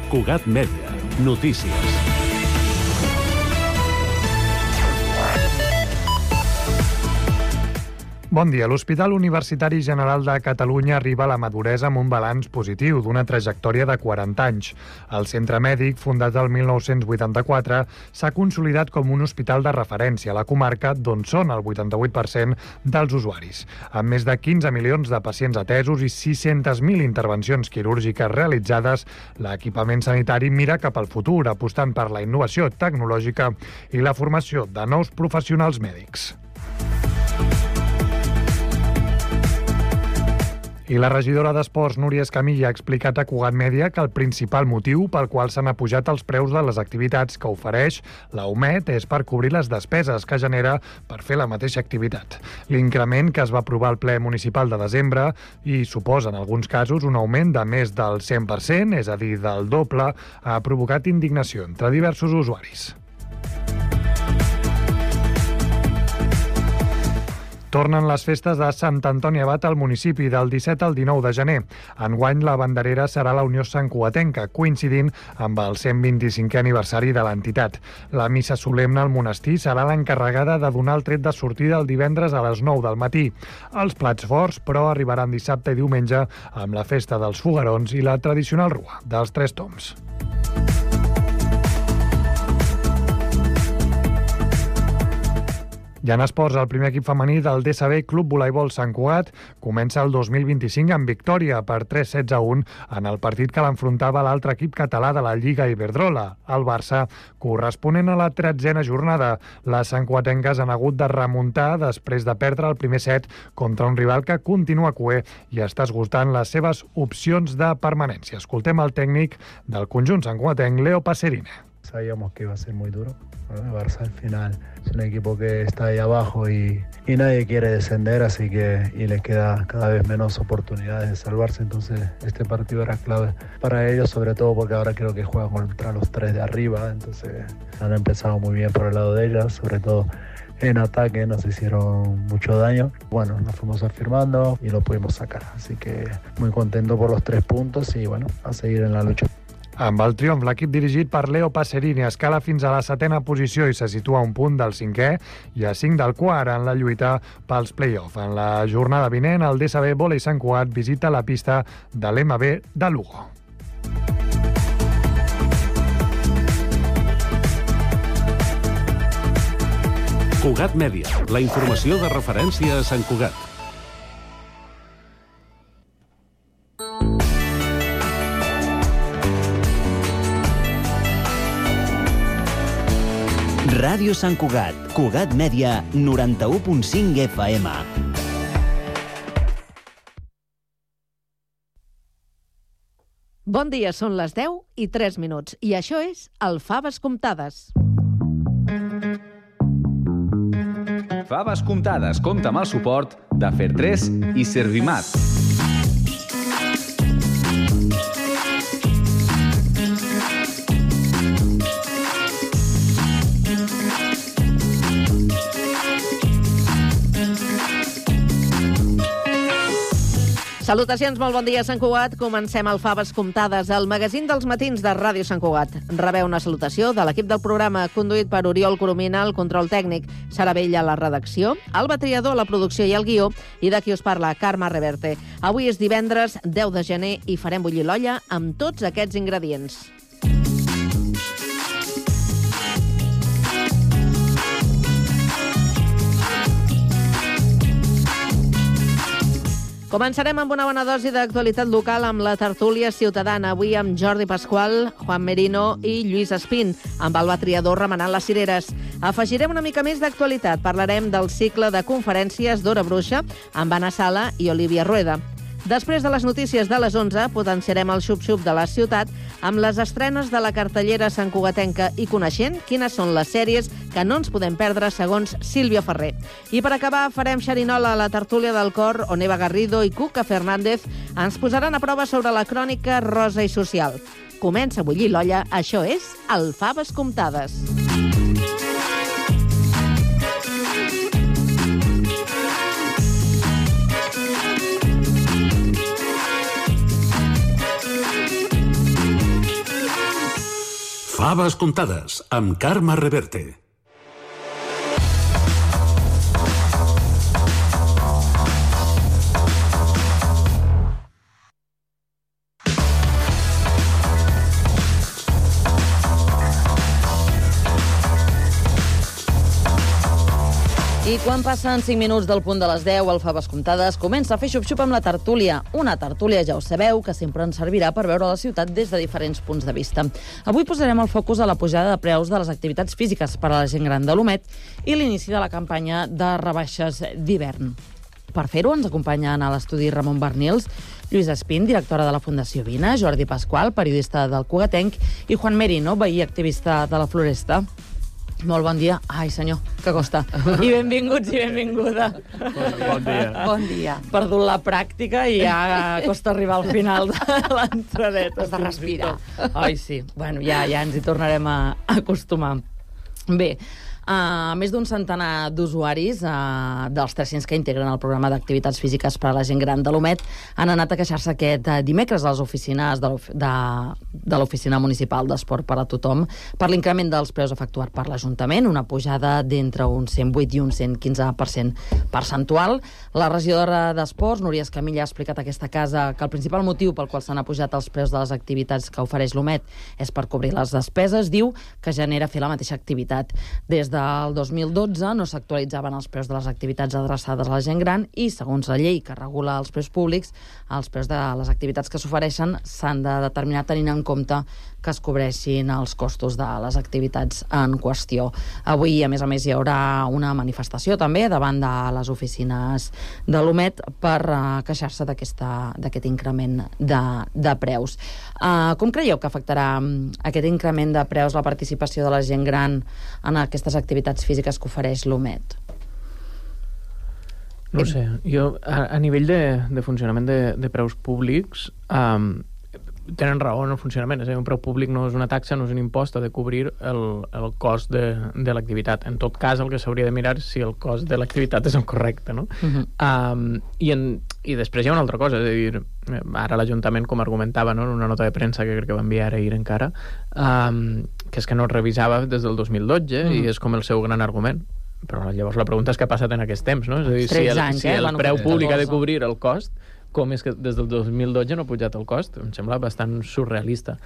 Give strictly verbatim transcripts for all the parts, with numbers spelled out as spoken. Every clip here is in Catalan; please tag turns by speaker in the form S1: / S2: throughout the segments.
S1: Cugat Mèdia. Notícies.
S2: Bon dia. L'Hospital Universitari General de Catalunya arriba a la maduresa amb un balanç positiu d'una trajectòria de quaranta anys. El centre mèdic, fundat el mil nou-cents vuitanta-quatre, s'ha consolidat com un hospital de referència a la comarca, d'on són el vuitanta-vuit per cent dels usuaris. Amb més de quinze milions de pacients atesos i sis-centes mil intervencions quirúrgiques realitzades, l'equipament sanitari mira cap al futur, apostant per la innovació tecnològica i la formació de nous professionals mèdics. I la regidora d'Esports, Núria Escamilla, ha explicat a Cugat Mèdia que el principal motiu pel qual s'han apujat els preus de les activitats que ofereix la U M E D és per cobrir les despeses que genera per fer la mateixa activitat. L'increment que es va aprovar al ple municipal de desembre i suposa en alguns casos un augment de més del cent per cent, és a dir, del doble, ha provocat indignació entre diversos usuaris. Tornen les festes de Sant Antoni Abat al municipi del disset al dinou de gener. Enguany la banderera serà la Unió Santcugatenca, coincidint amb el cent vint-i-cinquè aniversari de l'entitat. La missa solemne al monestir serà l'encarregada de donar el tret de sortida el divendres a les nou del matí. Els plats forts, però, arribaran dissabte i diumenge amb la festa dels foguerons i la tradicional rua dels Tres Tombs. I en esports, el primer equip femení del D S B Club Voleibol Sant Cugat comença el dos mil vint-i-cinc amb victòria per tres setze a un en el partit que l'enfrontava l'altre equip català de la Lliga Iberdrola, el Barça, corresponent a la tretzena jornada. Les santcugatenques han hagut de remuntar després de perdre el primer set contra un rival que continua cuer i està esgotant les seves opcions de permanència. Escoltem el tècnic del conjunt santcugatenc, Leo Pacerina.
S3: Sabíamos que iba a ser muy duro. El Barça al final es un equipo que está ahí abajo y, y nadie quiere descender, así que y les queda cada vez menos oportunidades de salvarse. Entonces este partido era clave para ellos, sobre todo porque ahora creo que juegan contra los tres de arriba. Entonces han empezado muy bien por el lado de ellas, sobre todo en ataque nos hicieron mucho daño. Bueno, nos fuimos afirmando y lo pudimos sacar. Así que muy contento por los tres puntos y bueno, a seguir en la lucha.
S2: Amb el triomf, l'equip dirigit per Leo Pacerini escala fins a la setena posició i se situa a un punt del cinquè i a cinc del quart en la lluita pels play-off. En la jornada vinent, el D S B Volei Sant Cugat visita la pista de l'M B de Lugo.
S1: Cugat Mèdia, la informació de referència a Sant Cugat.
S4: Ràdio Sant Cugat, Cugat Mèdia, noranta-u punt cinc F M.
S5: Bon dia, són les deu i tres minuts, i això és el Faves Comptades.
S6: Faves Comptades compta amb el suport de Fer tres i Servimat.
S5: Salutacions, molt bon dia, Sant Cugat. Comencem el Faves Comptades, el magazín dels matins de Ràdio Sant Cugat. Rebeu una salutació de l'equip del programa, conduït per Oriol Coromina, el control tècnic, Sara Vella, la redacció, Alba Triador, la producció i el guió, i de qui us parla, Carme Reverte. Avui és divendres, deu de gener, i farem bullir l'olla amb tots aquests ingredients. Començarem amb una bona dosi d'actualitat local amb la tertúlia ciutadana, avui amb Jordi Pasqual, Juan Merino i Lluís Espín, amb Alba Triador remenant les cireres. Afegirem una mica més d'actualitat, parlarem del cicle de conferències d'Hora Bruixa amb Anna Sala i Olivia Rueda. Després de les notícies de les onze, potenciarem el xup-xup de la ciutat amb les estrenes de la cartellera santcugatenca i coneixent quines són les sèries que no ens podem perdre segons Sílvia Ferrer. I per acabar farem xerinola a la tertúlia del cor on Eva Garrido i Cuca Fernández ens posaran a prova sobre la crònica rosa i social. Comença a bullir l'olla, això és el Faves Comptades.
S1: Faves comptades, amb Carme Reverte.
S5: I quan passen cinc minuts del punt de les deu, al Faves Comptades comença a fer xup-xup amb la tertúlia. Una tertúlia, ja ho sabeu, que sempre ens servirà per veure la ciutat des de diferents punts de vista. Avui posarem el focus a la pujada de preus de les activitats físiques per a la gent gran de l'Omet i l'inici de la campanya de rebaixes d'hivern. Per fer-ho ens acompanyen a l'estudi Ramon Barnils, Lluís Espín, directora de la Fundació Vina, Jordi Pasqual, periodista del Cugatenc, i Juan Merino, veí activista de la Floresta. Molt bon dia. Ai, senyor, que costa. I benvinguts i benvinguda.
S7: Bon dia.
S5: Bon dia. Perdut la pràctica i ja costa arribar al final de l'entradeta.
S8: Has de respirar.
S5: Ai, sí. Bueno, ja, ja ens hi tornarem a acostumar. Bé, Uh, més d'un centenar d'usuaris uh, dels tres-cents que integren el programa d'activitats físiques per a la gent gran de l'Omet han anat a queixar-se aquest uh, dimecres a les oficines de, de, de l'Oficina Municipal d'Esport per a Tothom per l'increment dels preus efectuat per l'Ajuntament, una pujada d'entre un cent vuit i un cent quinze per cent percentual. La regidora d'Esports, Núria Escamilla, ha explicat a aquesta casa que el principal motiu pel qual s'han apujat els preus de les activitats que ofereix l'Omet és per cobrir les despeses. Diu que genera fer la mateixa activitat. Des de el dos mil dotze no s'actualitzaven els preus de les activitats adreçades a la gent gran i, segons la llei que regula els preus públics, els preus de les activitats que s'ofereixen s'han de determinar tenint en compte que es cobreixin els costos de les activitats en qüestió. Avui, a més a més, hi haurà una manifestació també davant de les oficines de l'Omet per uh, queixar-se d'aquest increment de, de preus. Uh, com creieu que afectarà um, aquest increment de preus la participació de la gent gran en aquestes activitats físiques que ofereix l'Omet?
S7: No ho sé, jo a, a nivell de, de funcionament de, de preus públics um, tenen raó en el funcionament, és a dir, un preu públic no és una taxa, no és un impost, ha de cobrir el, el cost de, de l'activitat. En tot cas, el que s'hauria de mirar és si el cost de l'activitat és el correcte, no? Uh-huh. um, i, en, I després hi ha una altra cosa, és a dir, ara l'Ajuntament, com argumentava, no, en una nota de premsa que crec que va enviar ahir encara, um, que és que no es revisava des del dos mil dotze, uh-huh. i és com el seu gran argument. Però llavors la pregunta és què ha passat en aquests temps, no? És a dir, si el,
S5: anys,
S7: si
S5: eh?
S7: el
S5: bueno,
S7: preu públic ha de cobrir el cost, com és que des del dos mil dotze no ha pujat el cost? Em sembla bastant surrealista.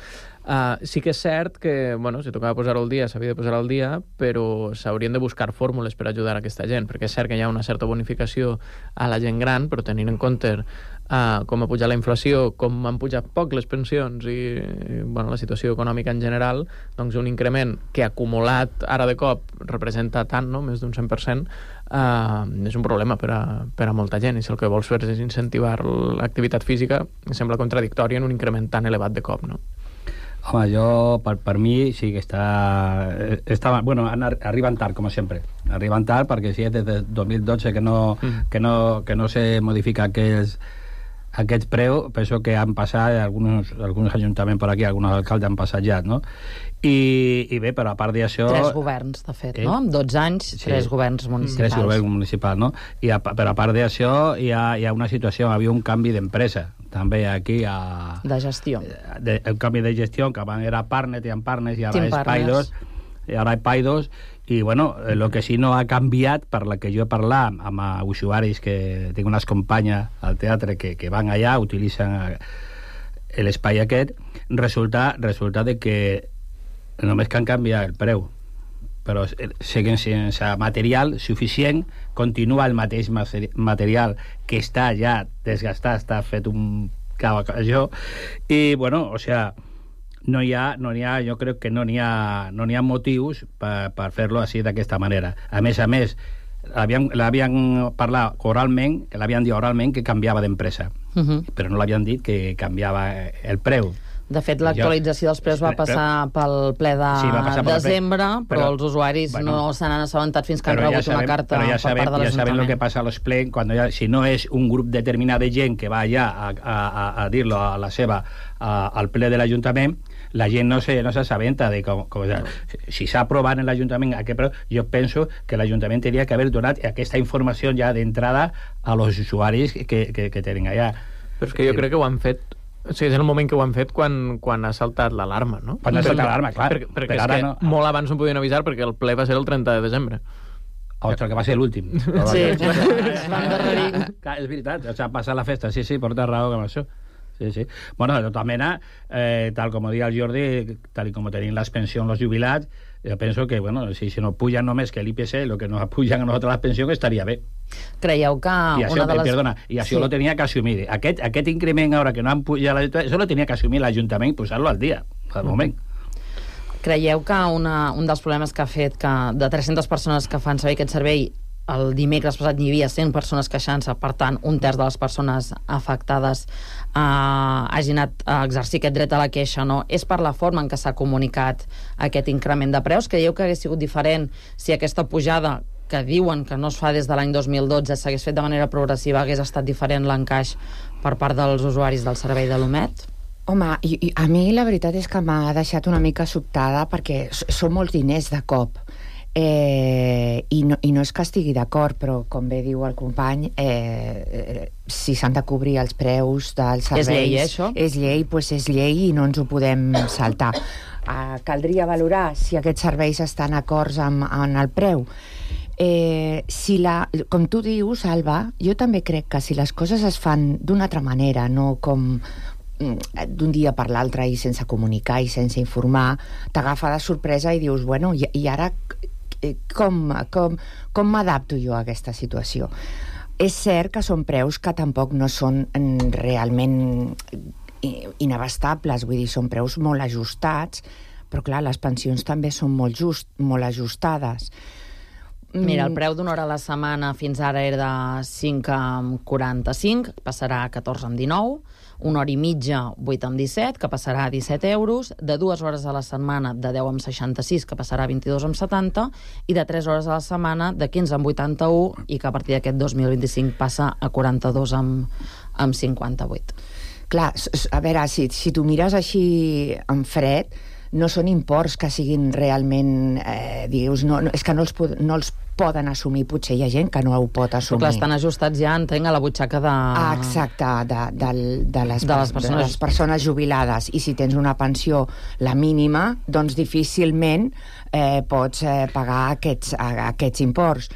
S7: Uh, sí que és cert que, bueno, si tocava posar-ho al dia, s'havia de posar al dia, però s'haurien de buscar fórmules per ajudar a aquesta gent, perquè és cert que hi ha una certa bonificació a la gent gran, però tenint en compte uh, com ha pujat la inflació, com han pujat poc les pensions i, i bueno, la situació econòmica en general, doncs un increment que acumulat ara de cop representa tant, no? Més d'un cent per cent, uh, és un problema per a, per a molta gent, i si el que vols fer és incentivar l'activitat física, em sembla contradictori en un increment tan elevat de cop, no?
S9: Home, jo, per, per mi, sí que està... està bueno, arriben tard, com sempre. Arriben tard perquè si és des del dos mil dotze que no, mm. que no, que no se modifica aquests, aquests preus, penso que han passat alguns, alguns ajuntaments per aquí, alguns alcaldes han passat ja, no? I, i bé, però a part d'això...
S5: Tres governs, de fet, eh? no? Amb dotze anys, sí. tres governs municipals.
S9: Tres governs municipals, no? I a, però a part d'això hi ha, hi ha una situació, hi havia un canvi d'empresa, també aquí a...
S5: De gestió.
S9: De, un canvi de gestió, que abans era Partners, i en Partners, i ara és Paidos, i ara és Paidos, i bueno, el que sí no ha canviat, per la que jo he parlat amb, amb usuaris que tinc unes companyes al teatre que, que van allà, utilitzen l'espai aquest, resulta, resulta de que només que han canviat el preu, però seguint sense material suficient, continua el mateix material que està ja desgastat, està fet un cavalló, i bueno, o sea, no hi ha, no hi ha, jo crec que no n'hi ha, no n'hi ha motius per, per fer-lo així d'aquesta manera. A més a més, l'havien parlat oralment, que l'havien dit oralment que canviava d'empresa, uh-huh. però no l'havien dit que canviava el preu.
S5: De fet, l'actualització dels preus va passar pel ple de sí, desembre, però, però els usuaris bueno, no se n'han assabentat fins que han rebut ja sabem, una carta ja per sabem, part de l'Ajuntament. Ja sabem el que passa a los plens, quan ja, si no és un grup determinat de gent que va allà a, a, a, a dir-lo a la seva, a, al ple de l'Ajuntament, la gent no se no s'assabenta de com, com no. Si s'ha aprovat en l'Ajuntament aquest preu, jo penso que l'Ajuntament hauria que haver donat aquesta informació ja d'entrada a los usuaris que, que, que tenen allà.
S7: Però és que jo crec que ho han fet Sí, és el moment que ho han fet quan, quan ha saltat l'alarma, no?
S9: Quan ha saltat l'alarma, clar.
S7: Perquè, perquè
S9: per
S7: és
S9: ara
S7: que
S9: no.
S7: molt abans no podien avisar perquè el ple va ser el trenta de desembre.
S9: Ostres, que va ser l'últim.
S5: Sí, es van endarrerir.
S9: Clar, és veritat, o sea, passar la festa, sí, sí, porta raó amb això. Sí, sí. Bueno, de tota mena, eh, tal com deia el Jordi, tal com tenim les pensions els jubilats, jo penso que, bueno, si, si no pujan només que l'I P C, el que nos pujan a nosaltres les pensions estaria bé.
S5: Creieu que
S9: I això,
S5: una de les...
S9: Perdona, i això
S5: sí.
S9: lo tenia que assumir. Aquest, aquest increment ara que no han pujat l'Ajuntament, això lo tenia que assumir l'Ajuntament i posar-lo al dia, al moment.
S5: Creieu que una, un dels problemes que ha fet que de tres-centes persones que fan servir aquest servei, el dimecres passat hi havia cent persones queixant-se, per tant, un terç de les persones afectades eh, hagi anat a exercir aquest dret a la queixa, no? És per la forma en què s'ha comunicat aquest increment de preus? Creieu que hagués sigut diferent si aquesta pujada, que diuen que no es fa des de l'any dos mil dotze, s'hagués fet de manera progressiva, hagués estat diferent l'encaix per part dels usuaris del servei de l'U M E T?
S8: Home, i, i a mi la veritat és que m'ha deixat una mica sobtada perquè són molts diners de cop. Eh, i, no, i no és que estigui d'acord, però com bé diu el company, eh, eh, si s'han de cobrir els preus dels serveis,
S5: és llei, eh, això?
S8: És llei, doncs és llei i no ens ho podem saltar. Eh, caldria valorar si aquests serveis estan acords amb, amb el preu. Eh, si la, com tu dius, Alba, jo també crec que si les coses es fan d'una altra manera, no com d'un dia per l'altre i sense comunicar i sense informar, t'agafa de sorpresa i dius, bueno, i, i ara com, com, com m'adapto jo a aquesta situació? És cert que són preus que tampoc no són realment inabastables, vull dir, són preus molt ajustats, però clar, les pensions també són molt, just, molt ajustades.
S5: Mira, el preu d'una hora a la setmana fins ara era de cinc coma quaranta-cinc, passarà a catorze coma dinou, una hora i mitja, vuit coma disset, que passarà a disset euros, de dues hores a la setmana, de deu coma seixanta-sis, que passarà a vint-i-dos coma setanta, i de tres hores a la setmana, de quinze coma vuitanta-u, i que a partir d'aquest dos mil vint-i-cinc passa a quaranta-dos coma cinquanta-vuit.
S8: Clar, a veure, si, si tu mires així en fred, no són imports que siguin realment, eh, dius, no, no, és que no els, no els poden assumir, potser hi ha gent que no ho pot assumir.
S5: Però clar, estan ajustats ja, entenc, a la butxaca de...
S8: Ah, exacte, de, de, de, les,
S5: de, les persones...
S8: de les persones jubilades. I si tens una pensió, la mínima, doncs difícilment eh, pots eh, pagar aquests, aquests imports.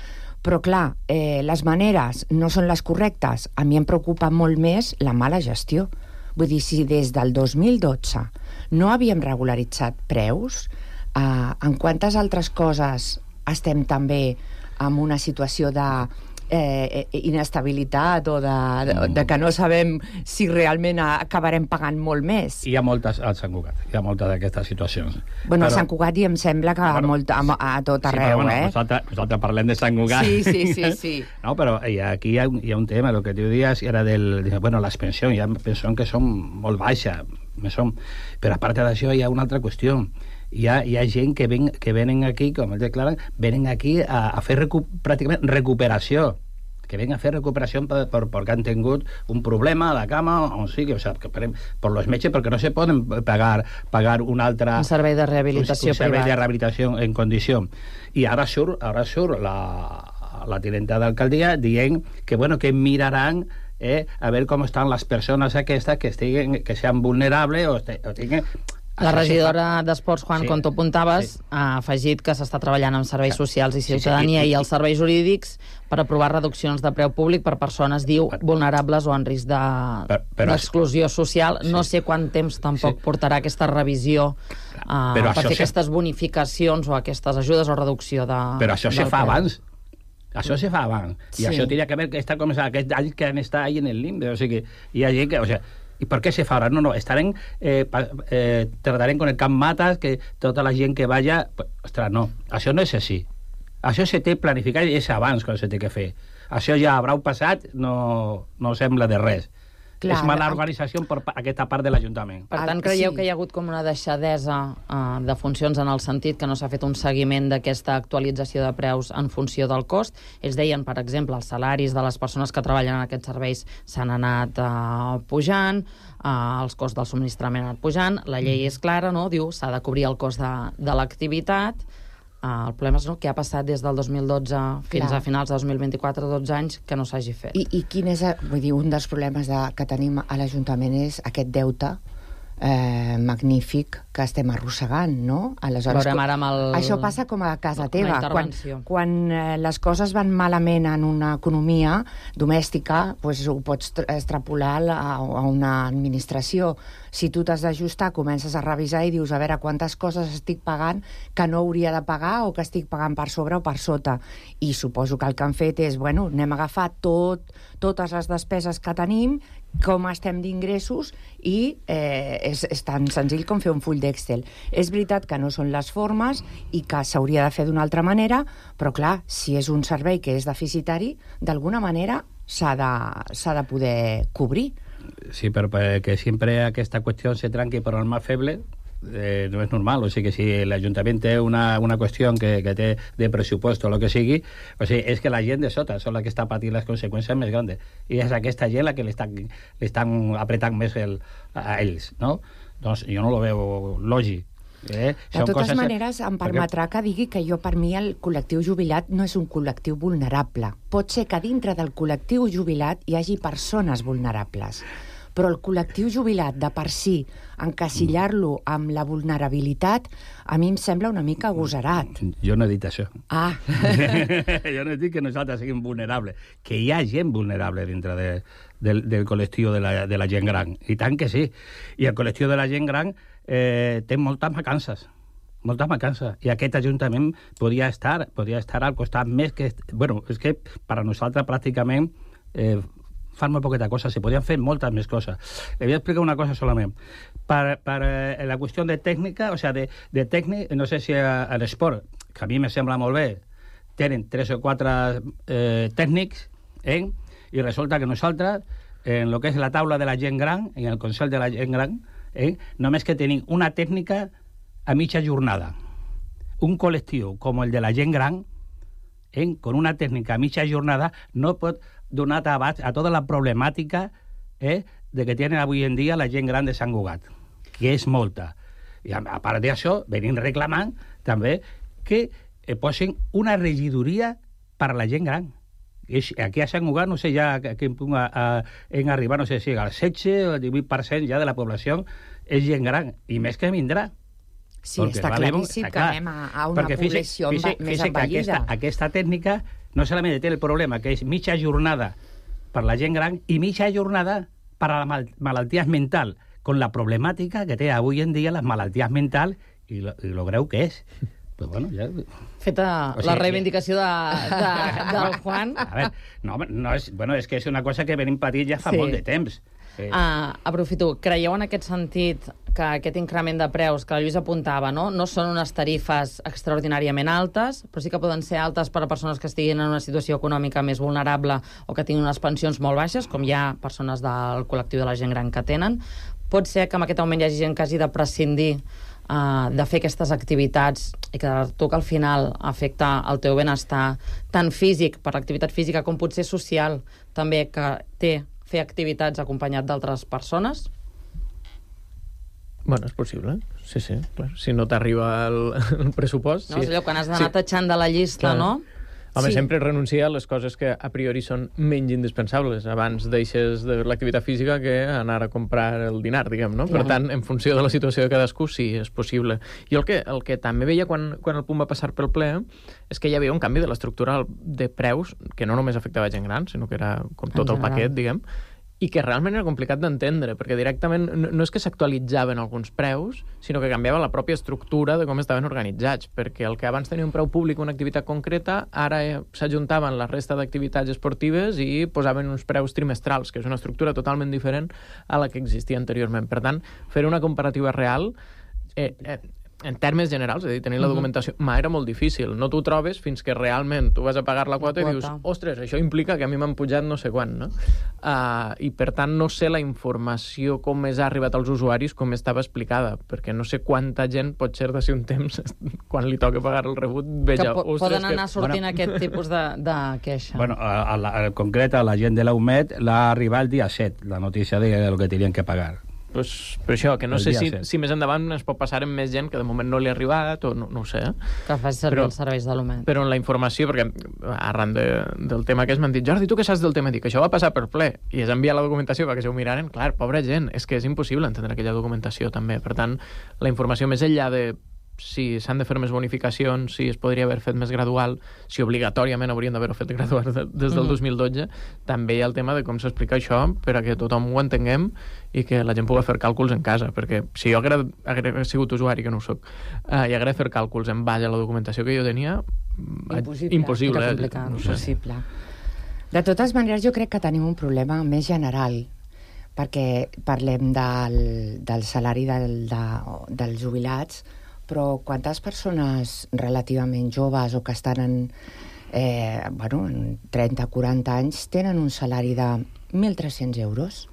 S8: Però clar, eh, les maneres no són les correctes. A mi em preocupa molt més la mala gestió. Vull dir, si des del dos mil dotze no havíem regularitzat preus, eh, en quantes altres coses estem també en una situació de eh, inestabilitat o de, de, de que no sabem si realment acabarem pagant molt més?
S9: Hi ha moltes al Sant Cugat, hi ha moltes d'aquestes situacions.
S8: Bueno, però... a Sant Cugat i em sembla que bueno, molt, a, a tot arreu, sí, però, bueno,
S9: eh? Nosaltres, nosaltres parlem de Sant Cugat.
S8: Sí, sí, sí, sí.
S9: No, però aquí hi ha, hi ha un tema, el que tu dius era del... Bueno, les pensions, hi ha pensions que són molt baixes, són, però a part d'això hi ha una altra qüestió. Hi ha, hi ha gent que, ven, que venen aquí, com ells declaren, venen aquí a, a fer recu pràcticament recuperació, que ven a fer recuperació per, per, perquè han tingut un problema a la cama, on sigui, o sigui, que per, per los metges, perquè no se poden pagar, pagar un altre...
S5: Un servei de rehabilitació
S9: un, un servei
S5: privat.
S9: de rehabilitació en condició. I ara surt, ara surt la, la tinenta d'alcaldia dient que, bueno, que miraran eh, a veure com estan les persones aquestes que, estiguen, que sean vulnerables o, o tinguin...
S5: La regidora d'Esports, Juan, sí, com tu apuntaves, sí, ha afegit que s'està treballant amb serveis socials i ciutadania sí, sí, i, i els serveis jurídics per aprovar reduccions de preu públic per persones, diu, vulnerables o en risc d'exclusió de, social. Sí. No sé quant temps tampoc sí. portarà aquesta revisió uh, per fer sí. aquestes bonificacions o aquestes ajudes o reducció de...
S9: Però això se fa abans. Això se fa abans. I sí. això tenia que veure que està com aquest any que han estat ahí en el limbe. O sigui, hi ha gent que... O sigui, ¿y por qué se fa ahora? No, no, estarán, eh, eh, tratarem con el Camp Matas, que tota la gent que vaya... Pues, ostres, no, això no és així. Això se té planificat i és abans que se té que fer. Això ja haurà passat, no, no sembla de res. Clar, és mala organització per aquesta part de l'Ajuntament.
S5: Per tant, creieu sí. que hi ha hagut com una deixadesa uh, de funcions en el sentit que no s'ha fet un seguiment d'aquesta actualització de preus en funció del cost? Ells deien, per exemple, els salaris de les persones que treballen en aquests serveis s'han anat uh, pujant, uh, els costs del subministrament han anat pujant, la llei és clara, no? Diu, s'ha de cobrir el cost de, de l'activitat,
S10: El problema és, no, què ha passat des del dos mil dotze fins
S8: Clar.
S10: a finals de dos mil vint-i-quatre, dotze anys, que no s'hagi fet.
S8: I, i quin és, vull dir, un dels problemes de, que tenim a l'Ajuntament és aquest deute eh, magnífic que estem arrossegant, no? Aleshores,
S10: veurem ara amb el...
S8: Això passa com a casa teva. Quan,
S10: intervenció.
S8: quan eh, les coses van malament en una economia domèstica, pues, ho pots tra- extrapolar a, a una administració. Si tu t'has d'ajustar, comences a revisar i dius, a veure, quantes coses estic pagant que no hauria de pagar o que estic pagant per sobre o per sota. I suposo que el que han fet és, bueno, anem a agafar tot, totes les despeses que tenim, com estem d'ingressos, i eh, és, és tan senzill com fer un full d'Excel. És veritat que no són les formes i que s'hauria de fer d'una altra manera, però clar, si és un servei que és deficitari, d'alguna manera s'ha de, s'ha de poder cobrir.
S9: Sí, pero para que siempre aquesta cuestión se tranque por el más feble, eh, no és normal. O sigui que si l'Ajuntament té una, una qüestió que, que té de pressupost o el que sigui, o sigui, és que la gent de sota són la que està patint les conseqüències més grandes. I és aquesta gent la que l'estan apretant més el, a ells, no? Doncs jo no lo veo lògic. Eh?
S8: De totes coses... maneres, em permetrà que digui que jo, per mi, el col·lectiu jubilat no és un col·lectiu vulnerable. Pot ser que dintre del col·lectiu jubilat hi hagi persones vulnerables, però el col·lectiu jubilat, de per si, encasillar-lo amb la vulnerabilitat, a mi em sembla una mica agosarat.
S9: Jo no he dit això.
S8: Ah.
S9: Jo no he dit que nosaltres siguem vulnerables, que hi ha gent vulnerable dintre de, del, del col·lectiu de la, de la gent gran. I tant que sí. I el col·lectiu de la gent gran eh, té moltes mancances. moltes mancances. I aquest Ajuntament podria estar, podria estar al costat més que... Bueno, és que per a nosaltres pràcticament eh, fan molt poqueta cosa, se podien fer moltes més coses. Le voy a explicar una cosa solament. Per, per eh, la qüestió de tècnica, o sea, de, de tècnic, no sé si a, a l'esport, que a mi me sembla molt bé, tenen tres o quatre eh, tècnics, eh? I resulta que nosaltres, en lo que és la taula de la gent gran, en el Consell de la gent gran, eh? només que tenim una tècnica a mitja jornada. Un col·lectiu com el de la gent gran, eh? con una tècnica a mitja jornada, no pot donar abast a tota la problemàtica eh? de que tenen avui en dia la gent gran de Sant Cugat, que és molta. I a, a part d'això, venim reclamant també que eh, posin una regidoria per a la gent gran. Aquí a Sant Cugat, no sé ja a quin punt a, a, en arribar, no sé si al setze o al divuit per cent ja de la població és gent gran, i més que vindrà.
S8: Sí, perquè, està claríssim que anem a, a una població
S9: físic,
S8: més
S9: físic,
S8: envellida.
S9: Aquesta, aquesta tècnica no solament té el problema que és mitja jornada per la gent gran i mitja jornada per a les mal malalties mentals, con la problemàtica que té avui en dia les malalties mentals i lo, i lo greu que és. Pues bueno, ja...
S10: Feta o sigui, la reivindicació de, de, del Juan.
S9: A veure, no, no és, bueno, és que és una cosa que venim patint ja fa sí. molt de temps.
S10: Eh. Uh, aprofito, creieu en aquest sentit que aquest increment de preus que la Lluís apuntava, no? no són unes tarifes extraordinàriament altes, però sí que poden ser altes per a persones que estiguin en una situació econòmica més vulnerable o que tinguin unes pensions molt baixes, com hi ha persones del col·lectiu de la gent gran que tenen. Pot ser que amb aquest augment hi hagi gent que hagi de prescindir uh, de fer aquestes activitats i que tu que al final afecta el teu benestar tant físic, per l'activitat física, com potser social, també que té fer activitats acompanyat d'altres persones?
S7: Bueno, és possible, sí, sí. Clar. Si no t'arriba el, el pressupost...
S10: No,
S7: sí.
S10: és allò quan has d'anar sí. tatxant de la llista, clar. No?
S7: Home,
S10: sí.
S7: sempre renunciar a les coses que a priori són menys indispensables. Abans deixes de l'activitat física que anar a comprar el dinar, diguem, no? Clar. Per tant, en funció de la situació de cadascú, sí, és possible. Jo el que, el que també veia quan, quan el punt va passar pel ple és que hi havia un canvi de l'estructura de preus que no només afectava gent gran, sinó que era com tot el paquet, diguem, i que realment era complicat d'entendre, perquè directament no és que s'actualitzaven alguns preus, sinó que canviava la pròpia estructura de com estaven organitzats, perquè el que abans tenia un preu públic, una activitat concreta, ara s'ajuntaven la resta d'activitats esportives i posaven uns preus trimestrals, que és una estructura totalment diferent a la que existia anteriorment. Per tant, fer una comparativa real... Eh, eh, en termes generals, és a dir, tenir la documentació, uh-huh. ma, era molt difícil. No t'ho trobes fins que realment tu vas a pagar la quota, la quota. I dius, ostres, això implica que a mi m'han pujat no sé quan, no? Uh, I per tant no sé la informació com més ha arribat als usuaris com estava explicada, perquè no sé quanta gent pot ser d'ací un temps quan li toca pagar el rebut, veja,
S10: que po
S7: ostres...
S10: Poden anar
S7: que...
S10: sortint
S9: bueno,
S10: aquest tipus de, de queixa.
S9: Bueno, al concret, a la gent de la U M E D l'ha arribat el dia set, la notícia de lo que tenien que pagar.
S7: pues, per això, que no sé si, si més endavant es pot passar amb més gent que de moment no li ha arribat, o no, no ho sé. Eh?
S10: Que faci servir però, els serveis de l'U M E D.
S7: Però en la informació, perquè arran de, del tema que és, m'han dit, Jordi, tu què saps del tema? Dic, això va passar per ple, i és enviar la documentació perquè se ho miraren. Clar, pobra gent, és que és impossible entendre aquella documentació també. Per tant, la informació més enllà de si s'han de fer més bonificacions, si es podria haver fet més gradual, si obligatòriament haurien d'haver-ho fet gradual des del dos mil dotze, mm. també hi ha el tema de com s'explica això per a que tothom ho entenguem i que la gent pugui fer càlculs en casa, perquè si jo hagués, hagués sigut usuari, que no ho soc, eh, i hagués fer càlculs en base a la documentació que jo tenia,
S8: impossible,
S7: impossible
S8: eh?
S7: no sé.
S8: Impossible. De totes maneres, jo crec que tenim un problema més general, perquè parlem del, del salari del, de, dels jubilats, però quantes persones relativament joves o que estan en, eh, bueno, en trenta quaranta anys tenen un salari de mil tres-cents euros?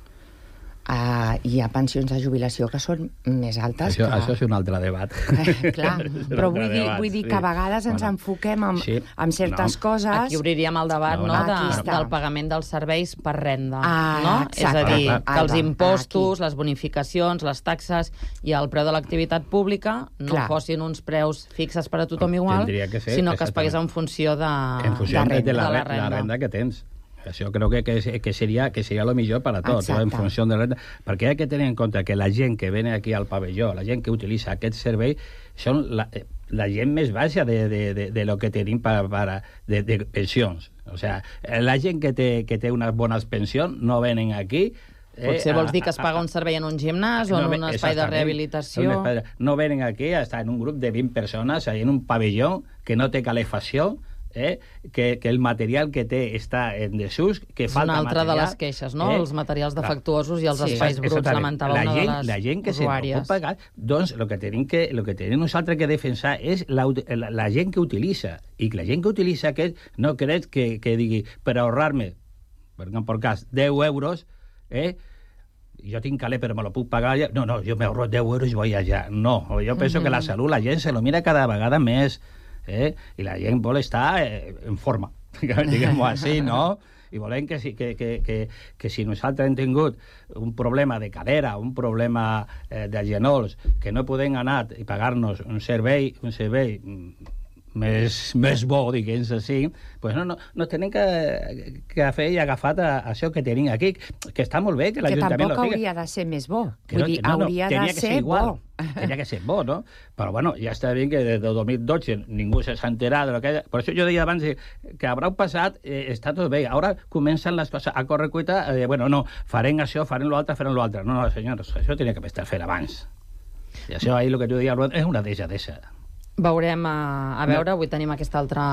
S8: Uh, hi ha pensions de jubilació que són més altes.
S9: Això,
S8: que...
S9: això és un altre debat.
S8: Eh, clar, però vull dir, vull dir que a vegades ens bueno, enfoquem en, sí, en certes no. coses...
S10: Aquí obriríem el debat no, no, de, del pagament dels serveis per renda. Ah, no? És a dir, ah, que els impostos, aquí. Les bonificacions, les taxes i el preu de l'activitat pública no clar. Fossin uns preus fixes per a tothom igual, que ser, sinó que es pagués en funció de,
S9: en funció de, renda, de, la, de la renda. La renda que tens. Això crec que, que, que, seria, que seria lo millor per a tot, en funció de renda. Perquè hi ha que tenir en compte que la gent que ve aquí al pavelló, la gent que utilitza aquest servei, són la, la gent més baixa de, de, de, de lo que tenim per, per, de, de pensions. O sea, la gent que té, que té unes bones pensions no venen aquí.
S10: Potser vols dir que es paga un servei en un gimnàs o en un espai de rehabilitació.
S9: No venen aquí a estar en un grup de vint persones en un pavelló que no té calefacció, Eh, que, que el material que té està en desús, que
S10: és
S9: falta
S10: una altra
S9: material,
S10: de les queixes, no? Eh? Els materials defectuosos i els
S9: sí,
S10: espais bruts, lamentava
S9: la
S10: una
S9: gent,
S10: de les
S9: la gent que
S10: usuàries.
S9: Se pot pagar, doncs el que tenim que, lo que tenim nosaltres que defensar és la, la, la gent que utilitza, i que la gent que utilitza aquest no crec que, que digui, per ahorrar-me, per exemple, per cas, deu euros, eh, jo tinc calé però me lo puc pagar allà. No, no, jo me ahorro deu euros i voy allà. No, jo penso mm-hmm. que la salut, la gent se lo mira cada vegada més, eh? I la gent vol estar eh, en forma, diguem-ho així, no? I volem que si, que, que, que, que si nosaltres hem tingut un problema de cadera, un problema eh, de genolls, que no podem anar i pagar-nos un servei, un servei més, més bo, diguem així, pues no, no, no tenim que, que fer i agafar a, a això que tenim aquí, que està molt bé que l'Ajuntament
S8: lo diga. Que tampoc hauria de ser més bo.
S9: Que
S8: Vull
S9: no,
S8: dir,
S9: no, no,
S8: hauria de ser,
S9: ser igual.
S8: bo.
S9: Tenia que ser bo, no? Però, bueno, ja està bé que des del dos mil dotze ningú s'ha enterat de lo que... Per això jo deia abans que haurà passat, eh, està tot bé. Ara comencen les coses a córrer cuita, eh, bueno, no, farem això, farem l'altre, farem l'altre. No, no, senyors, això tenia que estar fent abans. I això ahir, el que tu deia, és una deixadesa.
S10: Veurem a, a veure, avui tenim aquesta altra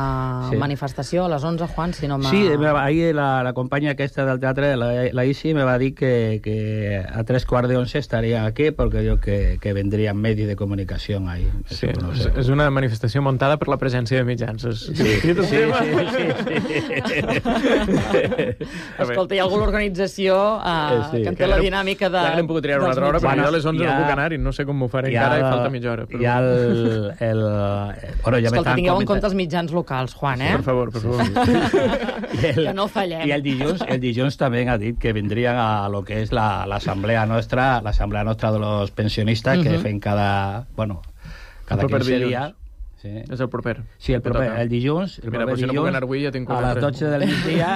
S10: sí. manifestació a les onze, Juan, si no m'ha...
S9: Sí, ahir la, la companya aquesta del teatre, la, la Isi, me va dir que, que a tres quarts de once estaria aquí perquè jo que, que vendrían medios de comunicació ahí.
S7: Sí, no sé. És una manifestació montada per la presència de mitjans. Sí, sí, sí, sí, sí,
S10: sí. Escolta, hi ha alguna organització uh, sí. que en té la dinàmica de...
S7: Ja que n'hem pogut triar una altra hora, perquè jo a les onze no puc anar i no sé com m'ho faré encara i falta mitja hora.
S9: Hi ha el... el Bueno, ja
S10: escolta, tingueu en compte els mitjans locals, Juan, eh?
S7: Sí, per favor, per favor.
S10: Sí. El, que no fallem.
S9: I el dilluns, el dilluns també ha dit que vindrien a lo que és l'assemblea la, nostra, l'assemblea nostra de los pensionistas, uh-huh. que fem cada, bueno, cada quinze dies.
S7: Sí. És el proper.
S9: Sí, el proper, el dilluns. El
S7: Mira,
S9: proper
S7: si
S9: dilluns,
S7: no puc anar avui, ja tinc
S9: a les dotze del migdia,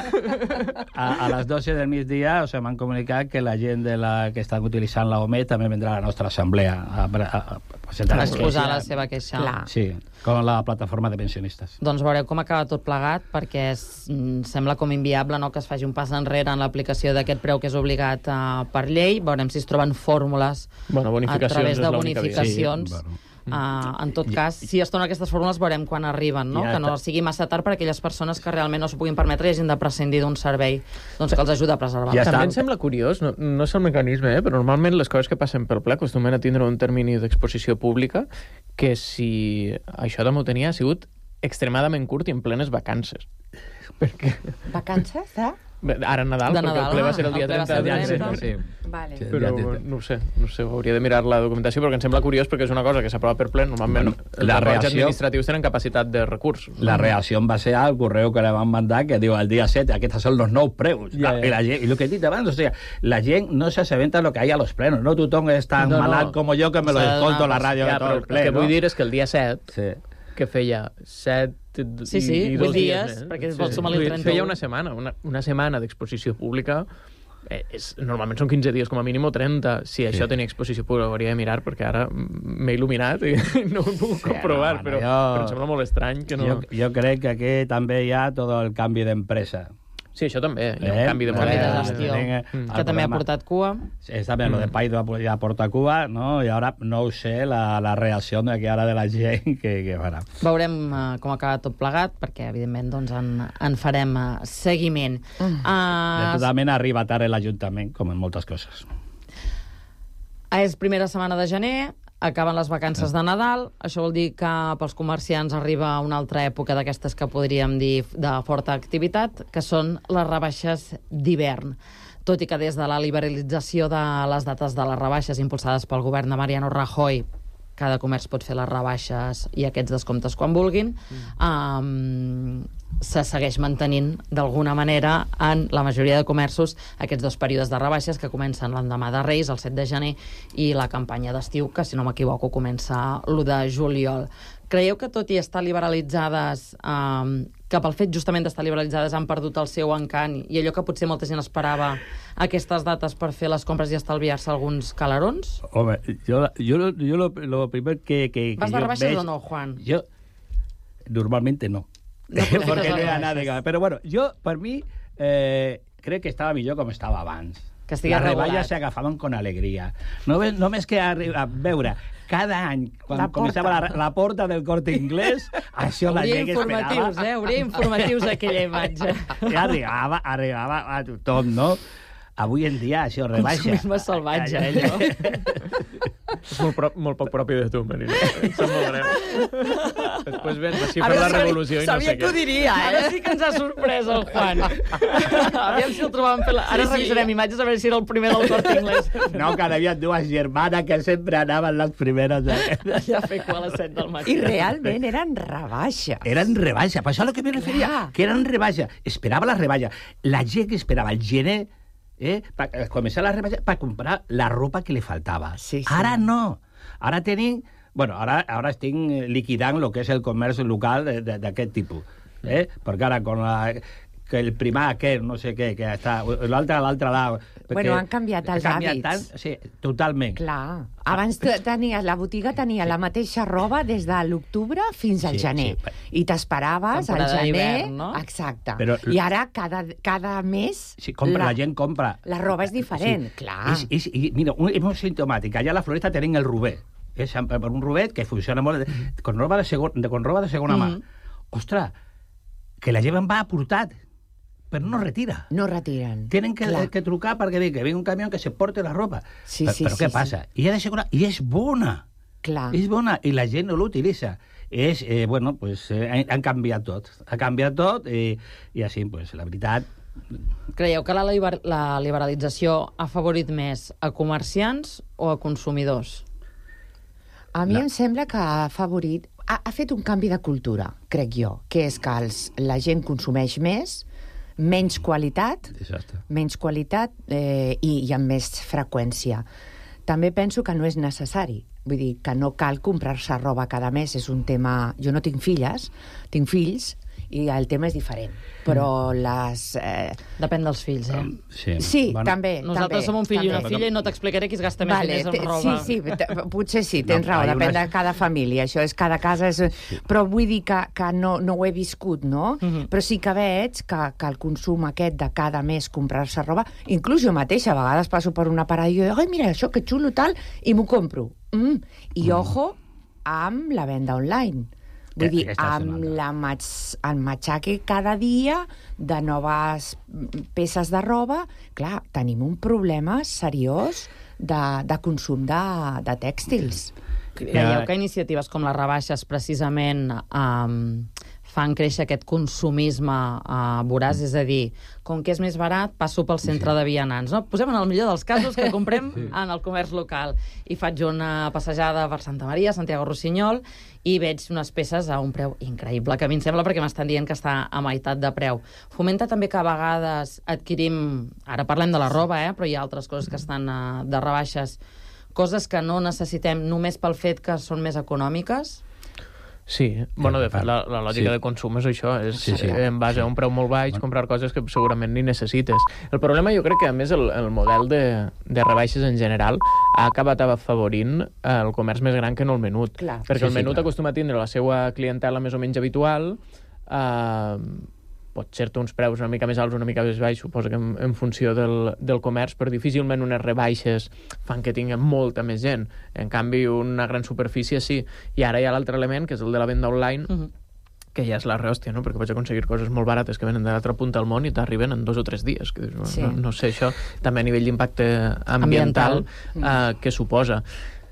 S9: a, a les dotze del migdia, o sigui, m'han comunicat que la gent de la, que estan utilitzant la O M E també vindrà a la nostra assemblea a, a, a, a presentar
S10: a exposar la seva queixa.
S8: Clar.
S9: Sí, com la plataforma de pensionistes.
S10: Doncs veureu com acaba tot plegat, perquè és, sembla com inviable, no?, que es faci un pas enrere en l'aplicació d'aquest preu que és obligat uh, per llei. Veurem si es troben fórmules
S7: bueno,
S10: a través de bonificacions. Sí, bueno. Uh, en tot cas, si es donen aquestes fórmules veurem quan arriben, no? Ja, que no sigui massa tard per a aquelles persones que realment no s'ho puguin permetre i hagin de prescindir d'un servei doncs, que els ajuda a preservar.
S7: Ja també em sembla curiós, no, no és el mecanisme, eh? Però normalment les coses que passen pel ple acostumen a tindre un termini d'exposició pública que si això també ho tenia ha sigut extremadament curt i en plenes vacances. Perquè...
S8: Vacances, eh?
S7: Ara Nadal,
S10: de
S7: perquè
S10: Nadal,
S7: el ple va ser el dia
S10: el ple va
S7: trenta
S10: ser
S7: de
S10: el
S7: desembre.
S10: trenta.
S7: Sí.
S8: Vale.
S9: Sí.
S7: Però no ho sé, no ho sé, hauria de mirar la documentació, perquè em sembla curiós, perquè és una cosa que s'aprova per ple. Normalment
S9: Bueno,
S7: els
S9: la
S7: acords
S9: reacció-
S7: administratius tenen capacitat de recurs.
S9: La reacción va a ser al correo que le van a mandar que digo al día siete, aquí estos son los no preus.
S7: Ja, ja.
S9: Y, la gent- y lo que he dit abans, o sea, la gent no se aseventa lo que hay a los plenos, no tothom és tan
S7: No, no.
S9: malalt como yo que me lo
S10: S'ha de
S9: escolto a la
S10: donar-
S9: ràdio
S7: Ja,
S9: de tot
S7: però
S9: el
S7: el
S9: ple,
S7: que
S9: no?
S7: vull dir és que el dia set,
S9: Sí.
S7: que feia set
S10: Sí, sí,
S7: i, i
S10: vuit
S7: dos
S10: dies,
S7: més,
S10: perquè es vol sumar-li el
S7: Vull dir,
S10: trenta-u.
S7: Feia una setmana, una, una setmana d'exposició pública. Eh, és, normalment són quinze dies com a mínim o trenta. Si això tenia exposició pública, ho hauria de mirar, perquè ara m'he il·luminat i no ho puc
S9: Sí,
S7: comprovar,
S9: no,
S7: però,
S9: jo-
S7: però em sembla molt estrany que no...
S9: Jo, jo crec que aquí també hi ha tot el canvi d'empresa.
S7: Sí, això també, hi ha un
S9: Eh?
S7: canvi de
S10: Canvi
S7: model.
S10: de gestió,
S9: Eh,
S7: Mm.
S10: que també ha portat cua.
S9: Es también lo de Paido ya porta Cuba, ¿no? Y ahora no sé la, la reacción de que ahora de la gent que, que farà.
S10: Veurem uh, com acaba tot plegat, perquè, evidentment, doncs, en, en farem uh, seguiment.
S8: Mm.
S10: Uh,
S9: Totalment arriba tard l'Ajuntament, com en moltes coses.
S10: és primera setmana de gener, acaben les vacances de Nadal, això vol dir que pels comerciants arriba una altra època d'aquestes que podríem dir de forta activitat, que són les rebaixes d'hivern. Tot i que des de la liberalització de les dates de les rebaixes impulsades pel govern de Mariano Rajoy, cada comerç pot fer les rebaixes i aquests descomptes quan vulguin, um, se segueix mantenint d'alguna manera en la majoria de comerços aquests dos períodes de rebaixes que comencen l'endemà de Reis, el set de gener, i la campanya d'estiu, que si no m'equivoco comença l'u de juliol. Creieu que tot i estar liberalitzades, um, que pel fet justament d'estar liberalitzades han perdut el seu encant i allò que potser molta gent esperava aquestes dates per fer les compres i estalviar-se alguns calarons?
S9: Home, jo, jo, jo lo, lo primer que, que, que
S10: Vas de
S9: jo
S10: rebaixes
S9: veig,
S10: o no, Juan?
S9: Yo, normalmente no.
S10: No aprofites
S9: Porque no
S10: les
S9: hi ha nada
S10: rebaixes.
S9: que... Però bueno, jo, per mi, eh, crec que estava millor com estava abans.
S10: Que estigui
S9: Les
S10: regulat.
S9: rebaixes s'agafaven con alegria. No, ves- només que arri- a veure, cada any, quan
S8: La
S9: començava la, la porta del Corte Inglés, això la
S10: Hauria
S9: gent
S10: informatius,
S9: esperava.
S10: eh? Hauria informatius aquella imatge.
S9: I arribava, arribava a tothom, no? Avui en dia això rebaixa.
S10: Consumisme salvatge,
S9: Ai, ai,
S10: allò.
S7: És molt, pro, molt poc propi de tu, Marina. Em sap molt greu. Després vens així per
S10: Ara
S7: la
S10: sí que-
S7: revolució i no
S10: sabia
S7: sé
S10: que ho
S7: què.
S10: diria, eh? Ara sí que ens ha sorprès el Juan. Aviam si el trobàvem fer... La... Ara
S8: Sí, sí.
S10: revisarem imatges a veure si era el primer del Corte Inglés.
S9: No, que hi havia dues germanes que sempre anaven les primeres. Eh?
S10: Ja fer cua a les set del matí.
S8: I realment eren rebaixes.
S9: Eren rebaixa, per això a lo que me referia,
S8: Clar.
S9: que eren rebaixa. Esperava la rebaixa. La gent que esperava el gener, eh, per començar la rebaixa, per comprar la ropa que li faltava.
S8: Sí, sí.
S9: Ara no. Ara tenim... Bueno, ara, ara estic liquidant el que és el comerç local de- de- d'aquest tipus. Eh? Perquè ara, con la, que el primar aquest, no sé què, que està... L'altre a l'altre lado...
S8: Bueno, han canviat els
S9: ha canviat
S8: hàbits.
S9: Tant, sí, totalment.
S8: Clar. Abans te- tenies, la botiga tenia la mateixa roba des de l'octubre fins al
S9: Sí,
S8: gener.
S9: sí.
S8: I t'esperaves al
S10: Temporada
S8: gener...
S10: d'hivern, no?
S8: Exacte.
S9: Però-
S8: I ara, cada, cada mes...
S9: Sí, compra, la, la gent compra.
S8: La roba és diferent, clar.
S9: És, és, i, mira, un, és molt simptomàtic. Allà a la Floresta tenim el Rubé. És un Rubet que funciona molt con roba de, segon, de, con roba de segona mà. Ostres, que la gent va aportat, però no retira.
S8: No retiren.
S9: Tenen que,
S8: Clar.
S9: que trucar perquè ve, que ve un camió que se porte la roba.
S8: Sí,
S9: però,
S8: sí,
S9: però
S8: sí,
S9: què
S8: sí.
S9: passa? I, de segona, I és bona.
S8: Clar.
S9: És bona i la gent no l'utilitza. És, eh, bueno, pues, eh, han, han canviat tot. Ha canviat tot i, i així, pues, la veritat...
S10: Creieu que la, liber la liberalització ha favorit més a comerciants o a consumidors?
S8: A mi
S9: La-
S8: em sembla que ha favorit... Ha, ha fet un canvi de cultura, crec jo, que és que els, la gent consumeix més, menys qualitat,
S9: Exacte.
S8: menys qualitat eh, i, i amb més freqüència. També penso que no és necessari. Vull dir, que no cal comprar-se roba cada mes. És un tema... Jo no tinc filles, tinc fills, i el tema és diferent. Però les... Eh...
S10: Depèn dels fills, eh?
S9: Sí,
S8: Sí,
S9: bueno,
S8: també.
S10: Nosaltres
S8: també,
S10: som un fill i una
S8: també.
S10: filla i no t'explicaré qui es gasta més
S8: Vale,
S10: diners
S8: te-
S10: en roba.
S8: sí, sí, te- potser sí, tens
S9: No,
S8: raó,
S9: hi ha
S8: depèn
S9: unes-
S8: de cada família, això és cada casa, és... però vull dir que, que no, no ho he viscut, no?
S10: Mhm.
S8: Però sí que veig que, que el consum aquest de cada mes comprar-se roba, inclús jo mateixa, a vegades passo per una parada i jo dic, ai, mira, això que xulo tal, i m'ho compro. Mm. I ojo amb la venda online. Vull
S9: Que
S8: dir,
S9: aquesta
S8: amb
S9: setmana.
S8: la matx, el matxaque cada dia de noves peces de roba, clar, tenim un problema seriós de, de consum de, de tèxtils.
S10: Creieu que iniciatives com les rebaixes precisament um, fan créixer aquest consumisme uh, voraç, és a dir, com que és més barat, passo pel centre sí. de vianants. No? Posem en el millor dels casos que comprem sí. en el comerç local. I faig una passejada per Santa Maria, Santiago Rossinyol, i veig unes peces a un preu increïble, que a mi em sembla perquè m'estan dient que està a meitat de preu. Fomenta també que a vegades adquirim, ara parlem de la roba, eh, però hi ha altres coses que estan uh, de rebaixes, coses que no necessitem només pel fet que són més econòmiques.
S7: Sí, bueno, de fet, la, la lògica sí. de consum és això, és sí, sí. en base a un preu molt baix comprar coses que segurament ni necessites. El problema jo crec que, a més, el, el model de, de rebaixes en general ha acabat afavorint el comerç més gran que no el menut. Clar. Perquè sí, el menut sí, acostuma a tindre la seva clientela més o menys habitual, eh, pot ser-te uns preus una mica més alts, una mica més baix, suposo que en, en funció del, del comerç, però difícilment unes rebaixes fan que tinguin molta més gent. En canvi, una gran superfície sí. I ara hi ha l'altre element, que és el de la venda online, uh-huh. que ja és la rehòstia, no? Perquè pots aconseguir coses molt barates que venen de l'altra punta del món i t'arriben en dos o tres dies. Que, no, sí. no, no sé això, també a nivell d'impacte ambiental, ambiental. Uh, que suposa.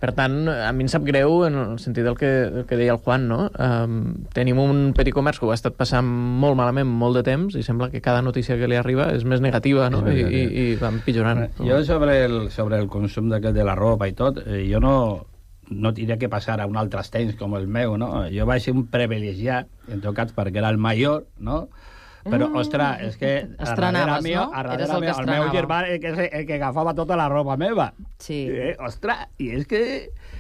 S7: Per tant, a mi em sap greu en el sentit del que, del que deia el Juan, no? Um, tenim un petit comerç que ho ha estat passant molt malament molt de temps i sembla que cada notícia que li arriba és més negativa, no? I, i, i va empitjorant.
S9: Jo sobre el, sobre el consum de, de la roba i tot, eh, jo no, no diria que passara un altre temps com el meu, no? Jo vaig ser un privilegiat, en tot cas perquè era el major, no? Però, mm. ostres, és que
S10: estrenaves,
S9: meu,
S10: no? Eres el que
S9: el meu germà el que, el que agafava tota la roba meva.
S10: Sí.
S9: Eh, ostres, i és que...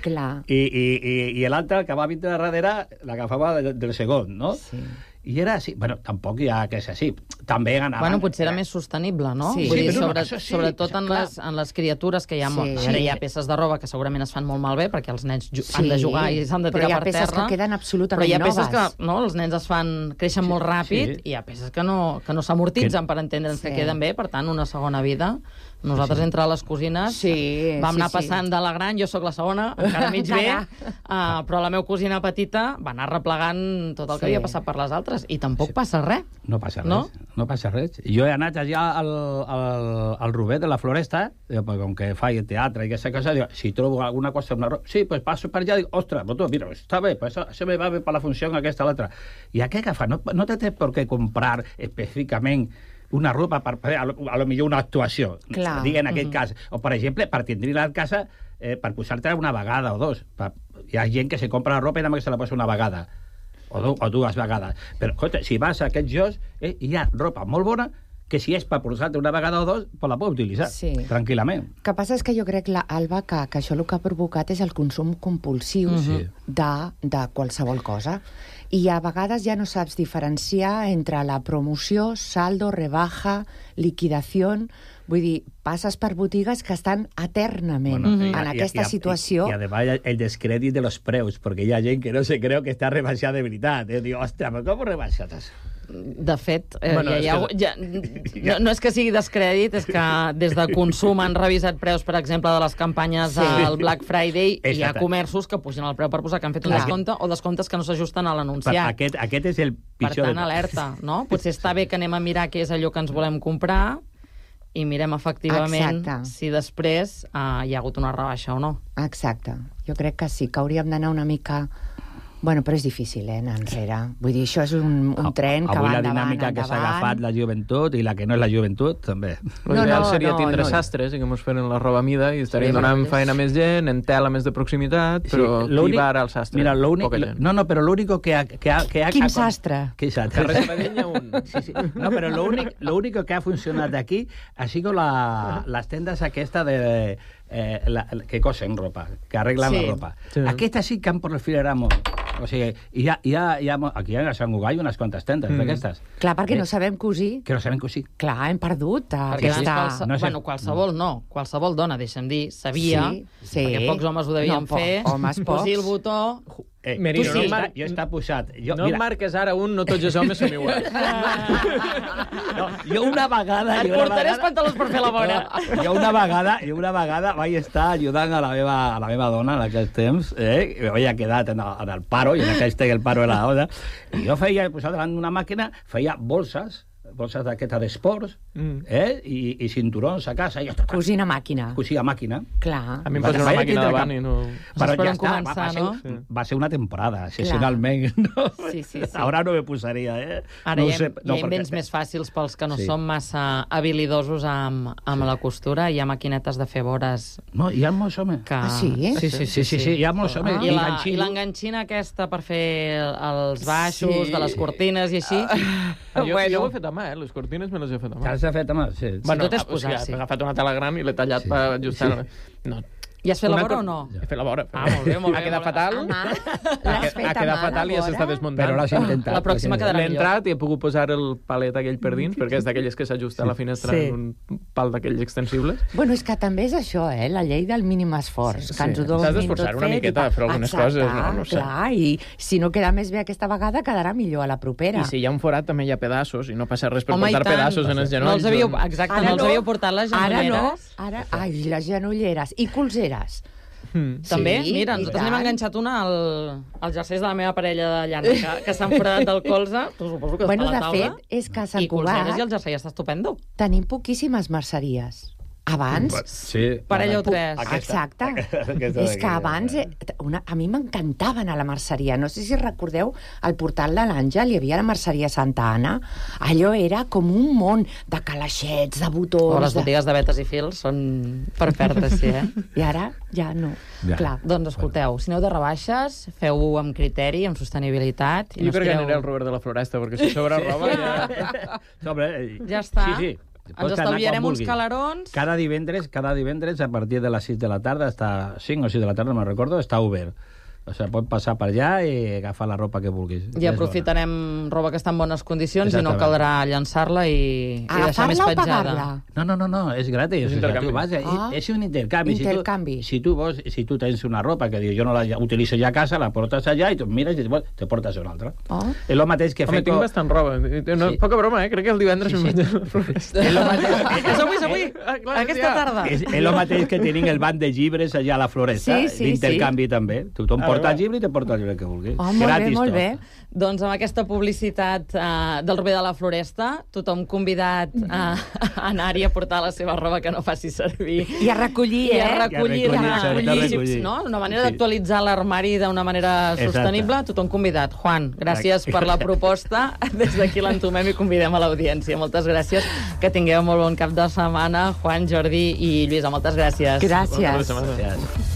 S8: Clar.
S9: I, i, i, i l'altre, que va vindre darrere, l'agafava del, del segon, no?
S10: Sí.
S9: I era així. Bueno, tampoc hi ha que és així. També anaven...
S10: Bueno, potser era més sostenible, no?
S8: Sí,
S10: Vull
S8: sí
S10: dir,
S8: però
S10: sobre,
S9: no, sí,
S10: sobretot en
S9: clar.
S10: les, en les criatures que hi ha...
S8: Sí.
S10: Molt... Ara hi ha peces de roba que segurament es fan molt malbé perquè els nens sí. han de jugar i s'han de tirar per terra.
S8: Però hi ha peces terra, que queden absolutament
S10: però hi ha peces
S8: noves.
S10: que no, els nens es fan... creixen sí. molt ràpid sí. i hi ha peces que no, que no s'amortitzen que... per entendre'ns sí. que queden bé, per tant, una segona vida. Nosaltres, sí. entre les cosines,
S8: sí,
S10: vam
S8: sí,
S10: anar passant
S8: sí.
S10: de la gran, jo sóc la segona, encara mig bé, uh, però la meva cosina petita va anar replegant tot el que sí. havia passat per les altres, i tampoc sí. passa res.
S9: No passa res,
S10: no?
S9: no passa res. Jo he anat allà al, al, al Rubet de la Floresta, com que faig teatre i aquesta cosa, dic, si trobo alguna cosa, una roba, sí, pues passo per allà, dic, ostres, però tu, mira, està bé, pues això me va bé per la funció aquesta o l'altra. I a què agafar? No, no te té per què comprar específicament una roba per, per a, lo, a lo millor una actuació, digui en aquest uh-huh. cas. O, per exemple, per tindre-la a casa eh, per posar-te una vegada o dos. Per, hi ha gent que se compra la roba i només se la posa una vegada. O, do, o dues vegades. Però, escolta, si vas a aquests llocs, eh, hi ha roba molt bona que si és per posar-te una vegada o dos, pues la pots utilitzar, sí. tranquil·lament.
S8: El que passa és que jo crec, la, Alba, que, que això el que ha provocat és el consum compulsiu uh-huh. de, de qualsevol cosa. I a vegades ja no saps diferenciar entre la promoció, saldo, rebaja, liquidació. Vull dir, passes per botigues que estan eternament bueno, uh-huh. en aquesta i, i, situació.
S9: I, i, además, el descrèdit de los preus, perquè hi ha gent que no se creu que està rebaixat de veritat. Eh? Diu, ostres, però com rebaixat això?
S10: De fet, eh,
S9: bueno,
S10: ja,
S9: que...
S10: ja, no, no és que sigui descrèdit, és que des de consum han revisat preus, per exemple, de les campanyes sí. del Black Friday, i hi ha comerços que pugen el preu per posar que han fet un descompte o descomptes que no s'ajusten a l'anunciat.
S9: Aquest, aquest és el pitjor.
S10: Per tant, alerta, no? Potser està bé que anem a mirar què és allò que ens volem comprar i mirem efectivament Exacte. si després uh, hi ha hagut una rebaixa o no.
S8: Exacte. Jo crec que sí, que hauríem d'anar una mica... Bueno, però és difícil, eh, anar enrere. Vull dir, això és un, un tren que
S9: Avui
S8: va endavant, endavant.
S9: Avui la dinàmica que s'ha agafat la joventut i la que no és la joventut, també.
S7: No, no, no, seria tindre no, sastres i que mos feren la roba a mida i estaríem sí, donant feina a més gent, en tela més de proximitat, però sí, qui va ara al sastre?
S9: Mira, poca gent. No, no, però l'únic que ha... Que ha, que ha
S8: Quin sastre?
S9: Quin sastre?
S7: Carrer Sabadell un.
S9: Sí, sí. No, però l'únic que ha funcionat aquí ha sigut la, les tendes aquesta de... Eh, la, que cosen ropa, que arreglen sí. la ropa. Sí. Aquesta sí que han proliferat molt. O sigui, hi ha, hi ha, hi ha, aquí a Sant Gugall unes quantes tendes mm. d'aquestes.
S8: Clar, perquè eh? no sabem cosir.
S9: Que no sabem cosir.
S8: Clar, hem perdut
S10: perquè aquesta... Qualse... No sé. Bueno, qualsevol no. Qualsevol dona, deixa'm dir, sabia, sí, sí. perquè pocs homes ho devien no, fer,
S8: homes
S10: cosir el botó...
S9: Eh, Merino, sí, no, mar... jo està posat. Jo,
S7: no mira... marques ara un, no tots els homes som iguals.
S9: No, jo una vegada...
S10: Et portaré els pantalons per fer la vora.
S9: No, jo una vegada, jo una vegada vaig estar ajudant a la meva, a la meva dona en aquells temps, eh? I havia quedat en el, en el paro, i en aquell temps el paro era la hora, i jo feia, posat davant d'una màquina, feia bolses bosses d'aquesta d'esports, mm. eh? I, i cinturons a casa. I ja està.
S8: Cosint a màquina.
S9: Cosir a màquina.
S8: Clar.
S7: A mi em posa una màquina davant i no...
S9: Però ja està,
S10: començar,
S9: va, va, ser,
S10: no?
S9: va ser una temporada, excepcionalment. No?
S10: Sí, sí, sí.
S9: Ara no me posaria, eh?
S10: Ara
S9: no
S10: hi ha,
S9: sé, no,
S10: hi ha invents
S9: perquè...
S10: més fàcils pels que no
S9: Sí.
S10: són massa habilidosos amb, amb
S9: Sí.
S10: la costura. Hi ha maquinetes de fer vores...
S9: No, hi ha molts homes.
S10: Que...
S8: Ah, sí?
S10: Sí, sí, sí.
S9: Sí, sí, sí, hi ha molts homes.
S10: I la- I l'enganxina aquesta per fer els baixos
S7: Sí.
S10: de les cortines i així...
S7: Ah, jo, jo ho he fet a mà, eh? Les cortines me les he fet a mà.
S9: Ja s'ha fet a mà, sí.
S7: Bueno,
S10: tot és
S7: o
S10: posar,
S7: sigui,
S10: sí.
S7: he agafat una tela gran i l'he tallat
S9: Sí.
S7: per ajustar...
S9: Sí.
S7: No.
S10: I has fet la
S7: Una
S10: vora
S7: cor-
S10: o no?
S7: He fet la vora.
S10: Ah, molt bé, molt bé.
S7: Ha quedat
S10: molt bé.
S7: fatal.
S8: A mà?
S7: Ha,
S8: L'has fet
S7: ha
S8: a
S7: quedat
S8: mà,
S7: fatal i ja
S8: la
S7: s'està
S8: vora?
S7: desmuntant.
S9: Però l'has intentat.
S10: La pròxima quedarà
S7: L'he
S10: millor.
S7: entrat i he pogut posar el palet aquell per dins, perquè és d'aquelles que s'ajusta a la finestra
S10: Sí.
S7: en un pal d'aquells extensibles.
S8: Bueno, és que també és això, eh? La llei del mínim esforç.
S7: Sí,
S8: que ens
S7: sí.
S8: ho donin
S7: T'has d'esforçar
S8: tot
S7: una
S8: fet i
S7: miqueta
S8: tal.
S7: a fer algunes
S8: Exacte,
S7: coses, no? No sé.
S8: Clar, i si no queda més bé aquesta vegada, quedarà millor a la propera.
S7: I si hi ha un forat també hi ha pedaços i no passa res per
S10: Home, i
S7: portar
S10: tant.
S7: pedaços en els
S10: No
S7: genolls.
S10: els havíeu,
S7: doncs-
S10: exacte,
S8: Ara
S10: no els
S8: no.
S10: havíeu portat les
S8: Ara no,
S10: genolleres.
S8: ara... Ai, les genolleres i colzeres.
S7: Mm.
S10: També,
S8: Sí,
S10: mira,
S8: i
S10: nosaltres n'hem
S8: tant.
S10: enganxat una al, als jerseis de la meva parella de llana, que, que s'han foradat del colze, tu suposo que
S8: Bueno,
S10: està a
S8: de
S10: la taula.
S8: fet, és que a Sant
S10: I colzeres
S8: Cugat
S10: i el jersei està estupendo.
S8: tenim poquíssimes merceries. Abans...
S9: Sí.
S10: Parella o tres.
S8: Exacte.
S9: Aquesta
S8: És que abans, eh, una, a mi m'encantava anar a la merceria. No sé si recordeu el portal de l'Àngel, hi havia la merceria Santa Anna. Allò era com un món de calaixets, de botons...
S10: O les
S8: de...
S10: botigues de vetes i fils són per perdre, sí, eh?
S8: I ara ja no.
S9: Ja.
S8: Clar.
S10: Doncs escolteu, si aneu de rebaixes, feu-ho amb criteri, amb sostenibilitat. I
S7: Jo
S10: no
S7: crec que
S10: estireu-
S7: aniré al Robert de la Floresta, perquè si sobra roba ja...
S9: No, però, eh,
S10: Ja està.
S9: Sí, sí.
S10: Ens
S9: Pots anar
S10: estalviarem
S9: quan
S10: uns
S9: vulguis.
S10: calarons.
S9: Cada divendres, cada divendres, a partir de les sis de la tarda, està cinc o sis de la tarda, no me'n recordo, està obert. O sigui, pots passar per allà i agafar la ropa que vulguis.
S10: I aprofitarem roba que està en bones condicions i no
S9: Exactament.
S10: caldrà llançar-la i, i deixar més
S8: Agafar-la o
S10: petjada.
S8: pagar-la?
S9: No, no, no, no, és gratis.
S7: És
S9: O sigui,
S7: intercanvi.
S9: tu vas,
S8: Ah.
S9: és un intercanvi.
S8: Intercanvi.
S9: Si tu, si tu vols, si tu tens una ropa que dius jo no la utilitzo ja a casa, la portes allà i tu mires i te portes una altra.
S8: Oh.
S9: És el mateix que
S7: Home,
S9: fer...
S7: tinc bastant roba. No,
S9: Sí.
S7: Poca broma, eh? Crec que el divendres
S9: Sí,
S7: sí,
S9: sí.
S7: sí. me'n vaig a la Floresta.
S9: És el mateix,
S10: És avui, és avui,
S7: Ah, clar,
S10: aquesta
S7: ja.
S10: tarda.
S9: és, és el mateix que tenim el banc de llibres allà a la Floresta,
S8: Sí, sí,
S9: d'intercanvi també. Tothom
S7: Ah,
S9: porta
S7: va.
S9: el llibre i te porta el llibre que vulguis.
S8: Oh, molt bé,
S9: Gratis
S8: molt
S9: tot.
S8: bé.
S10: Doncs amb aquesta publicitat uh, del Robert de la Floresta, tothom convidat a, a anar-hi a portar la seva roba que no faci servir.
S8: I a recollir,
S10: I
S8: eh?
S10: a recollir,
S9: I a recollir,
S10: a
S9: sobretot
S10: recollir,
S9: recollir.
S10: no? Una manera
S9: Sí.
S10: d'actualitzar l'armari d'una manera
S9: Exacte.
S10: sostenible. Tothom convidat. Juan, gràcies per la proposta. Des d'aquí l'entomem i convidem a l'audiència. Moltes gràcies. Que tingueu molt bon cap de setmana. Juan, Jordi i Lluïsa, moltes gràcies.
S8: Gràcies.
S9: Gràcies.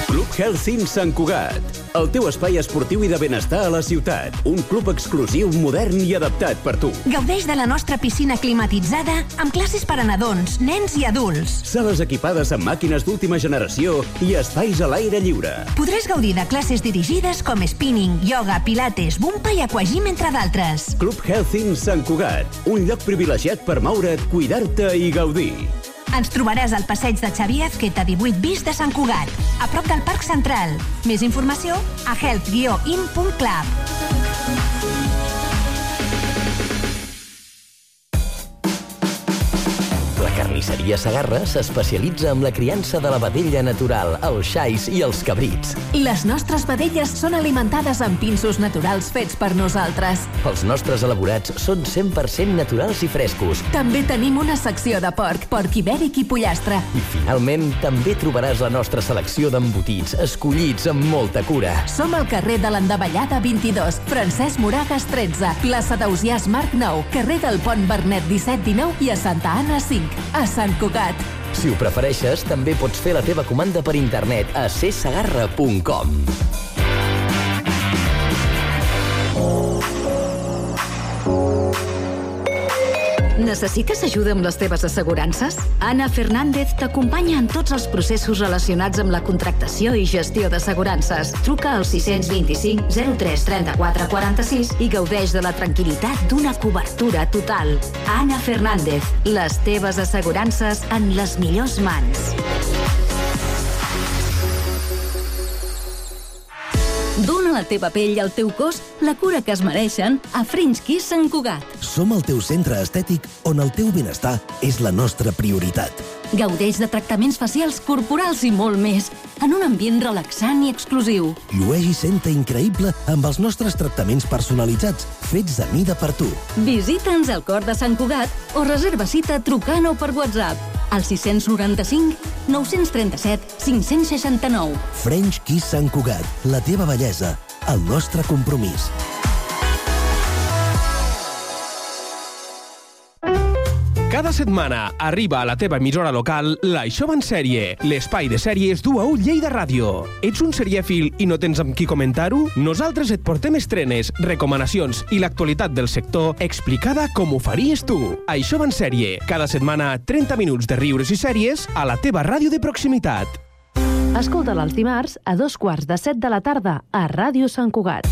S11: Club Healthy Sant Cugat, el teu espai esportiu i de benestar a la ciutat. Un club exclusiu, modern i adaptat per tu.
S12: Gaudeix de la nostra piscina climatitzada amb classes per a nadons, nens i adults.
S11: Sales equipades amb màquines d'última generació i espais a l'aire lliure.
S12: Podràs gaudir de classes dirigides com spinning, yoga, pilates, bumpa i aquagym, entre d'altres.
S11: Club Healthy Sant Cugat, un lloc privilegiat per moure't, cuidar-te i gaudir.
S12: Ens trobaràs al passeig de Xavier Azqueta divuit bis de Sant Cugat, a prop del Parc Central. Més informació a health guió in punt club.
S13: La carnisseria Segarra s'especialitza en la criança de la vedella natural, els xais i els cabrits.
S12: Les nostres vedelles són alimentades amb pinsos naturals fets per nosaltres.
S13: Els nostres elaborats són cent per cent naturals i frescos.
S12: També tenim una secció de porc, porc ibèric i pollastre.
S13: I finalment també trobaràs la nostra selecció d'embotits, escollits amb molta cura.
S12: Som al carrer de l'Endavellada vint-i-dos, Francesc Moragas tretze, plaça d'Ausiàs Marc nou, carrer del Pont Bernet disset dinou i a Santa Anna cinc, a Sant Cugat.
S13: Si ho prefereixes, també pots fer la teva comanda per internet a c segarra punt com.
S14: Necessites ajuda amb les teves assegurances? Ana Fernández t'acompanya en tots els processos relacionats amb la contractació i gestió d'assegurances. Truca al sis dos cinc zero tres tres quatre quatre sis i gaudeix de la tranquil·litat d'una cobertura total. Ana Fernández, les teves assegurances en les millors mans.
S15: Dona
S14: Dóna a la teva pell i al teu cos la cura que es mereixen a French Kiss Sant Cugat.
S15: Som el teu centre estètic on el teu benestar és la nostra prioritat.
S14: Gaudeix de tractaments facials, corporals i molt més, en un ambient relaxant i exclusiu.
S15: Llueix i senta increïble amb els nostres tractaments personalitzats, fets a mida per tu.
S14: Visita'ns al cor de Sant Cugat o reserva cita trucant o per WhatsApp al sis nou cinc, nou tres set, cinc sis nou.
S15: French Kiss Sant Cugat, la teva bellesa, el nostre compromís.
S16: Cada setmana arriba a la teva emissora local l'Això va en sèrie, l'espai de sèries d'U A U Lleida Ràdio. Ets un serièfil i no tens amb qui comentar-ho? Nosaltres et portem estrenes, recomanacions i l'actualitat del sector explicada com ho faries tu. Això va en sèrie, cada setmana trenta minuts de riures i sèries a la teva ràdio de proximitat.
S17: Escolta'l els dimarts a dos quarts de set de la tarda a Ràdio Sant Cugat.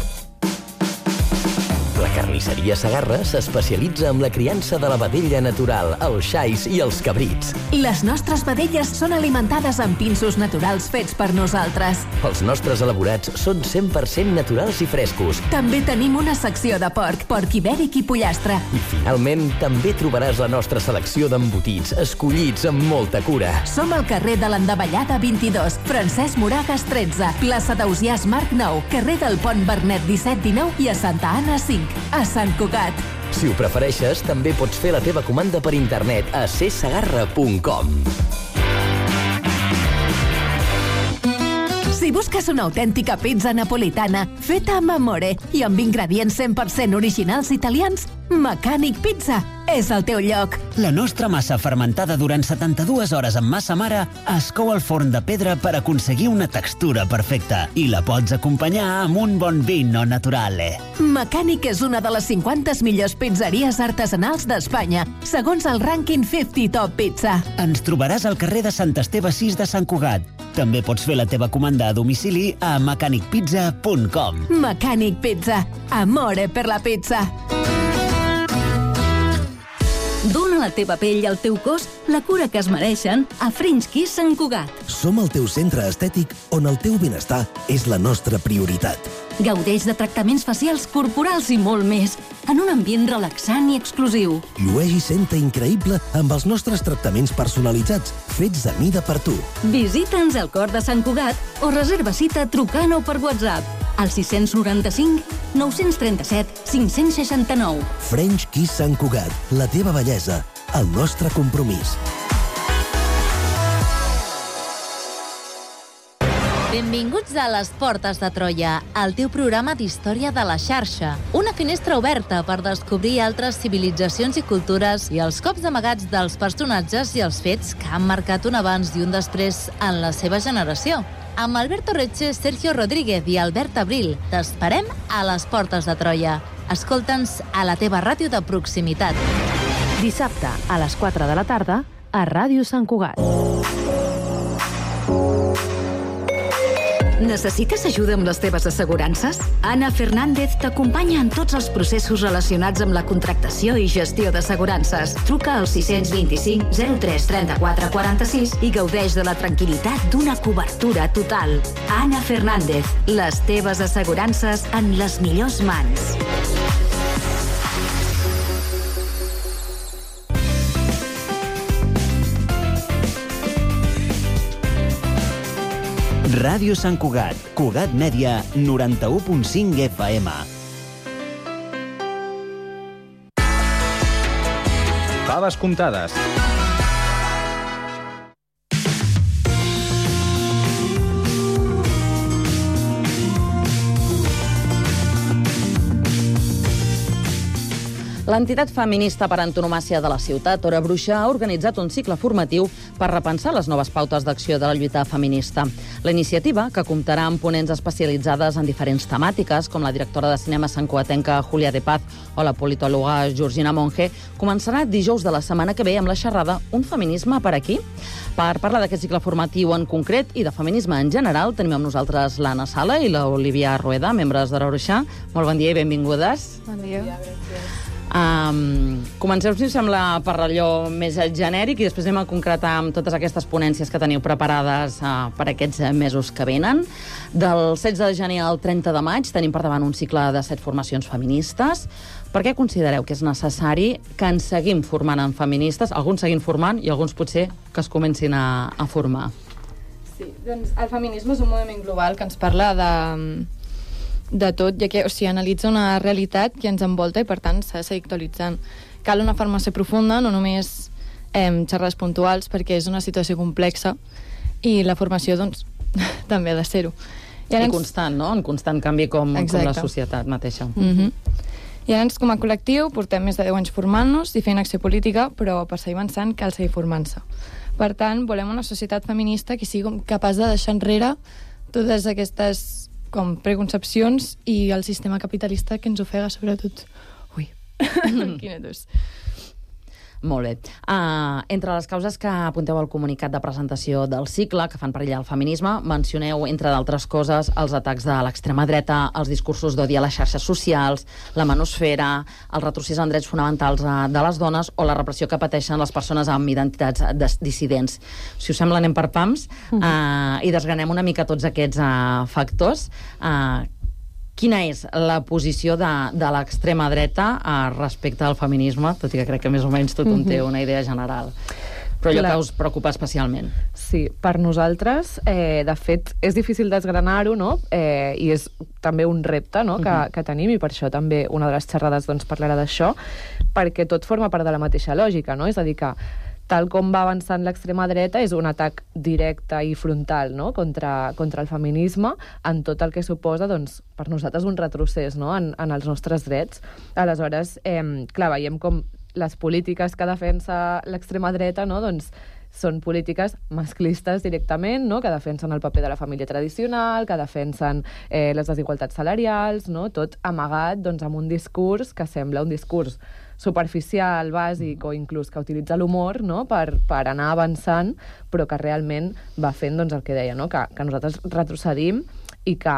S13: La carnisseria Segarra s'especialitza en la criança de la vedella natural, els xais i els cabrits.
S12: Les nostres vedelles són alimentades amb pinsos naturals fets per nosaltres.
S13: Els nostres elaborats són cent per cent naturals i frescos.
S12: També tenim una secció de porc, porc ibèric i pollastre.
S13: I finalment també trobaràs la nostra selecció d'embotits, escollits amb molta cura.
S12: Som al carrer de l'Endavellada vint-i-dos, Francesc Moragas tretze, plaça d'Ausiàs Marc nou, carrer del Pont Vernet disset dinou i a Santa Anna cinc. A Sant Cugat.
S13: Si ho prefereixes, també pots fer la teva comanda per internet a c segarra punt com.
S12: Si busques una autèntica pizza napolitana feta amb amore i amb ingredients cent per cent originals italians, Mecànic Pizza és el teu lloc.
S4: La nostra massa fermentada durant setanta-dues hores amb massa mare es cou al forn de pedra per aconseguir una textura perfecta i la pots acompanyar amb un bon vino naturale.
S12: Mecànic és una de les cinquanta millors pizzeries artesanals d'Espanya, segons el rànquing cinquanta Top Pizza.
S4: Ens trobaràs al carrer de Sant Esteve sis de Sant Cugat. També pots fer la teva comanda a domicili a mecànic pizza punt com.
S12: Mecànic Pizza. Amore per la pizza.
S14: Dóna a la teva pell i al teu cos la cura que es mereixen a French Kiss Sant Cugat.
S15: Som el teu centre estètic on el teu benestar és la nostra prioritat.
S14: Gaudeix de tractaments facials, corporals i molt més, en un ambient relaxant i exclusiu.
S15: Llueix i senta increïble amb els nostres tractaments personalitzats, fets a mida per tu.
S14: Visita'ns al cor de Sant Cugat o reserva cita trucant o per WhatsApp al sis nou cinc, nou tres set, cinc sis nou.
S15: French Kiss Sant Cugat, la teva bellesa, el nostre compromís.
S18: Benvinguts a Les Portes de Troia, el teu programa d'història de la xarxa. Una finestra oberta per descobrir altres civilitzacions i cultures i els cops amagats dels personatges i els fets que han marcat un abans i un després en la seva generació. Amb Alberto Reche, Sergio Rodríguez i Albert Abril, t'esperem a Les Portes de Troia. Escolta'ns a la teva ràdio de proximitat.
S17: Dissabte a les quatre de la tarda a Ràdio Sant Cugat.
S14: Necessites ajuda amb les teves assegurances? Ana Fernández t'acompanya en tots els processos relacionats amb la contractació i gestió d'assegurances. Truca al sis dos cinc, zero tres, trenta-quatre, quaranta-sis i gaudeix de la tranquil·litat d'una cobertura total. Ana Fernández, les teves assegurances en les millors mans.
S4: Ràdio Sant Cugat, Cugat Mèdia, noranta-u punt cinc F M.
S6: Faves comptades.
S10: L'entitat feminista per antonomàsia de la ciutat, Hora Bruixa, ha organitzat un cicle formatiu per repensar les noves pautes d'acció de la lluita feminista. La iniciativa, que comptarà amb ponents especialitzades en diferents temàtiques, com la directora de cinema santcugatenca Julia de Paz o la politòloga Georgina Monge, començarà dijous de la setmana que ve amb la xerrada Un feminisme per aquí? Per parlar d'aquest cicle formatiu en concret i de feminisme en general, tenim amb nosaltres l'Anna Sala i l'Olivia Rueda, membres d'Hora Bruixa. Molt bon dia i benvingudes.
S19: Bon dia. Bon dia, gràcies.
S10: Um, comenceu, si us sembla, per allò més genèric i després anem a concretar amb totes aquestes ponències que teniu preparades uh, per aquests mesos que venen. Del setze de gener al trenta de maig tenim per davant un cicle de set formacions feministes. Per què considereu que és necessari que ens seguim formant en feministes, alguns seguim formant i alguns potser que es comencin a, a formar?
S19: Sí, doncs el feminisme és un moviment global que ens parla de... de tot, ja que o sigui, analitza una realitat que ens envolta i, per tant, s'ha de seguir actualitzant. Cal una formació profunda, no només eh, xerrades puntuals, perquè és una situació complexa i la formació, doncs, també ha de ser-ho.
S10: I, I constant, no? En constant canvi com, com la societat mateixa.
S19: Mm-hmm. I ara, com a col·lectiu, portem més de deu anys formant-nos i fent acció política, però per seguir avançant cal seguir formant-se. Per tant, volem una societat feminista que sigui capaç de deixar enrere totes aquestes com preconcepcions i el sistema capitalista que ens ofega, sobretot. Ui, quina tos.
S10: Molt bé. Uh, entre les causes que apunteu al comunicat de presentació del cicle, que fan perillar el feminisme, mencioneu, entre d'altres coses, els atacs de l'extrema dreta, els discursos d'odi a les xarxes socials, la manosfera, el retrocés en drets fonamentals de les dones o la repressió que pateixen les persones amb identitats dissidents. Si us sembla, anem per pams uh, i desgranem una mica tots aquests uh, factors. Uh, Quina és la posició de, de l'extrema dreta eh, respecte al feminisme, tot i que crec que més o menys tothom té una idea general? Però allò Clar. que us preocupa especialment.
S20: Sí, per nosaltres, eh, de fet, és difícil desgranar-ho, no? Eh, i és també un repte, no?, que, que tenim, i per això també una de les xerrades doncs, parlarà d'això, perquè tot forma part de la mateixa lògica, no? És a dir, que tal com va avançant l'extrema dreta, és un atac directe i frontal, no?, contra, contra el feminisme, en tot el que suposa, doncs, per nosaltres un retrocés, no?, en, en els nostres drets. Aleshores, eh, clar, veiem com les polítiques que defensa l'extrema dreta, no?, doncs, són polítiques masclistes directament, no?, que defensen el paper de la família tradicional, que defensen eh, les desigualtats salarials, no?, tot amagat doncs, amb un discurs que sembla un discurs superficial, bàsic o inclús que utilitza l'humor, no?, per, per anar avançant, però que realment va fent doncs, el que deia, no?, que, que nosaltres retrocedim i que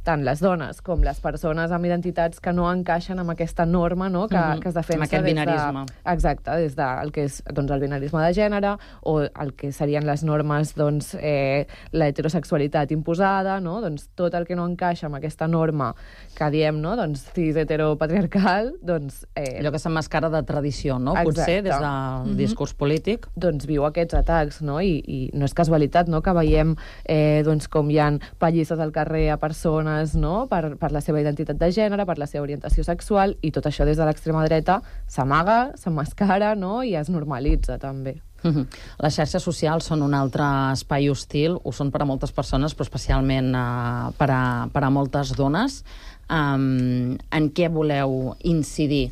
S20: tant les dones com les persones amb identitats que no encaixen amb aquesta norma, no?, que, uh-huh. que es defensa...
S10: Amb aquest binarisme.
S20: De, exacte, des del que és doncs, el binarisme de gènere o el que serien les normes, doncs, eh, la heterosexualitat imposada, no?, doncs tot el que no encaixa amb aquesta norma que diem, no?, doncs cis heteropatriarcal, doncs... Eh...
S10: Allò que s'emmascara de tradició, no?, exacte. Potser, des del uh-huh. discurs polític.
S20: Doncs viu aquests atacs, no?, I, i no és casualitat, no?, que veiem eh, doncs, com hi ha pallisses al carrer a persones, no?, per, per la seva identitat de gènere, per la seva orientació sexual, i tot això des de l'extrema dreta s'amaga, s'emmascara, no?, i es normalitza, també.
S10: Uh-huh. Les xarxes socials són un altre espai hostil, ho són per a moltes persones, però especialment uh, per, a, per a moltes dones. Um, en què voleu incidir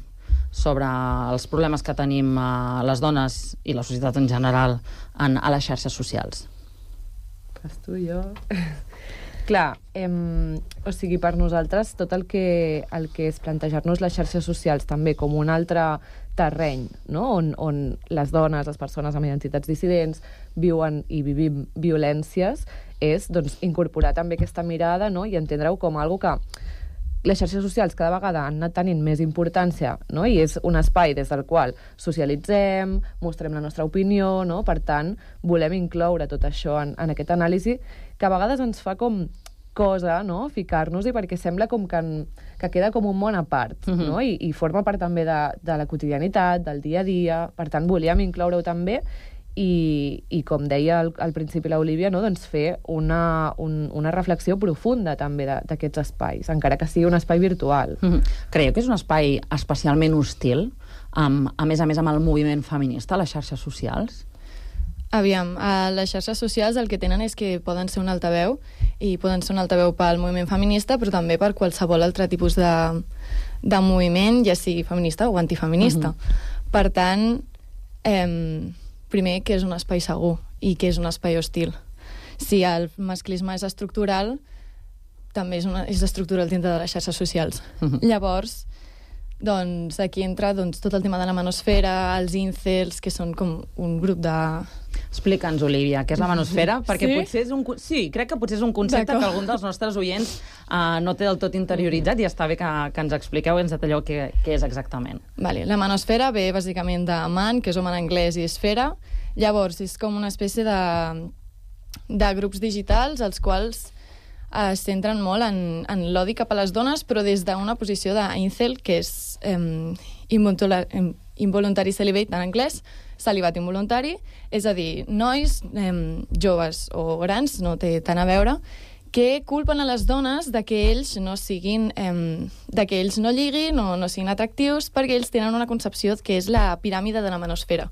S10: sobre els problemes que tenim uh, les dones i la societat en general en, a les xarxes socials?
S20: Pas tu, jo... Clar, eh, o sigui, per nosaltres tot el que, el que és plantejar-nos les xarxes socials també com un altre terreny, no?, on, on les dones, les persones amb identitats dissidents viuen i vivim violències, és doncs, incorporar també aquesta mirada, no?, i entendre-ho com algo que les xarxes socials cada vegada han anat tenint més importància, no?, i és un espai des del qual socialitzem, mostrem la nostra opinió, no?, per tant, volem incloure tot això en, en aquest anàlisi que a vegades ens fa com cosa, no?, ficar-nos-hi, perquè sembla com que, en, que queda com un món a part, uh-huh. no?, I, i forma part també de, de la quotidianitat, del dia a dia, per tant, volíem incloure-ho també, i, i com deia al, al principi l'Olivia, no?, doncs fer una, un, una reflexió profunda també d'aquests espais, encara que sigui un espai virtual.
S10: Uh-huh. Creieu que és un espai especialment hostil, amb, a més a més amb el moviment feminista, a les xarxes socials?
S19: Aviam, a les xarxes socials el que tenen és que poden ser un altaveu i poden ser un altaveu pel moviment feminista, però també per qualsevol altre tipus de, de moviment, ja sigui feminista o antifeminista. Uh-huh. Per tant, eh, primer, que és un espai segur i que és un espai hostil. Si el masclisme és estructural, també és, una, és estructural dintre de les xarxes socials. Uh-huh. Llavors, doncs, aquí entra doncs, tot el tema de la manosfera, els incels, que són com un grup de...
S10: Explica'ns, Olivia, què és la manosfera? Perquè
S19: sí?
S10: potser és un... Sí, crec que potser és un concepte que algun dels nostres oients uh, no té del tot interioritzat, i està bé que, que ens expliqueu i ens detalleu què, què és exactament.
S19: Vale. La manosfera ve bàsicament de man, que és home en anglès, i esfera. Llavors, és com una espècie de, de grups digitals als quals es centren molt en, en l'odi cap a les dones, però des d'una posició d'incel, que és eh, involuntary celibate en anglès, celibat involuntari, és a dir, nois, eh, joves o grans, no té tant a veure, que culpen a les dones de que ells no siguin, eh, de que ells no lliguin o no siguin atractius, perquè ells tenen una concepció que és la piràmide de la manosfera.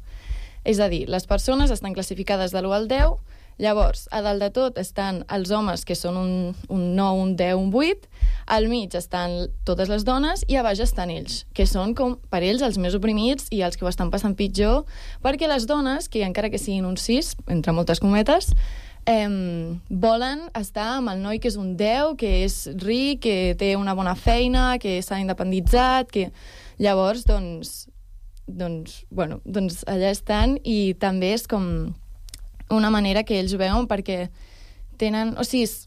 S19: És a dir, les persones estan classificades de l'u al deu, llavors, a dalt de tot estan els homes, que són un, un nou, un deu, un vuit, al mig estan totes les dones i a baix estan ells, que són com per ells els més oprimits i els que ho estan passant pitjor, perquè les dones, que encara que siguin un sis, entre moltes cometes, eh, volen estar amb el noi que és un deu, que és ric, que té una bona feina, que s'ha independitzat, que... Llavors, doncs, doncs, bueno, doncs allà estan, i també és com una manera que ells veuen perquè tenen... O sigui, és...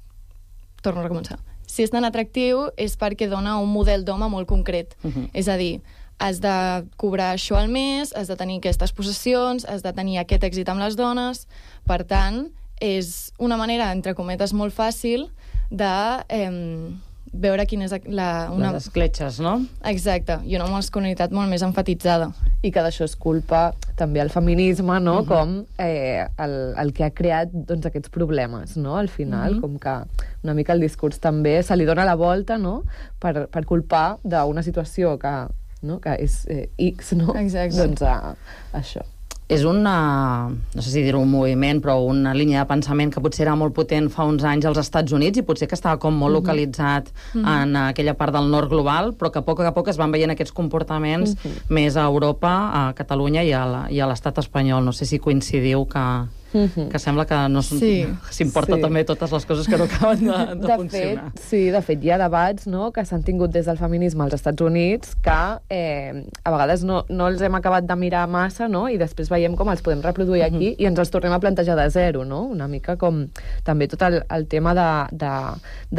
S19: torno a recomençar. Si és tan atractiu és perquè dona un model d'home molt concret. Uh-huh. És a dir, has de cobrar això al mes, has de tenir aquestes possessions, has de tenir aquest èxit amb les dones. Per tant, és una manera, entre cometes, molt fàcil de... Eh, veure quina és la... Una...
S10: Les escletxes, no?
S19: Exacte, i una masculinitat molt més enfatitzada.
S20: I que d'això és culpa també el feminisme, no? Uh-huh. Com eh, el, el que ha creat doncs, aquests problemes, no? Al final, uh-huh. com que una mica el discurs també se li dona la volta, no? Per, per culpar d'una situació que, no? que és eh, X, no?
S19: Exacte.
S20: Doncs a, a això.
S10: És una, no sé si dir-ho un moviment, però una línia de pensament que potser era molt potent fa uns anys als Estats Units i potser que estava com molt localitzat mm-hmm. en aquella part del nord global, però que a poc a poc es van veient aquests comportaments mm-hmm. més a Europa, a Catalunya i a l'estat espanyol. No sé si coincidiu que... Mm-hmm. que sembla que no
S19: sí,
S10: s'importa sí. també totes les coses que no acaben de, de,
S20: de
S10: funcionar.
S20: Fet, sí, de fet hi ha debats, no?, que s'han tingut des del feminisme als Estats Units que eh, a vegades no, no els hem acabat de mirar massa, no?, i després veiem com els podem reproduir aquí mm-hmm. i ens els tornem a plantejar de zero, no?, una mica com també tot el, el tema de, de,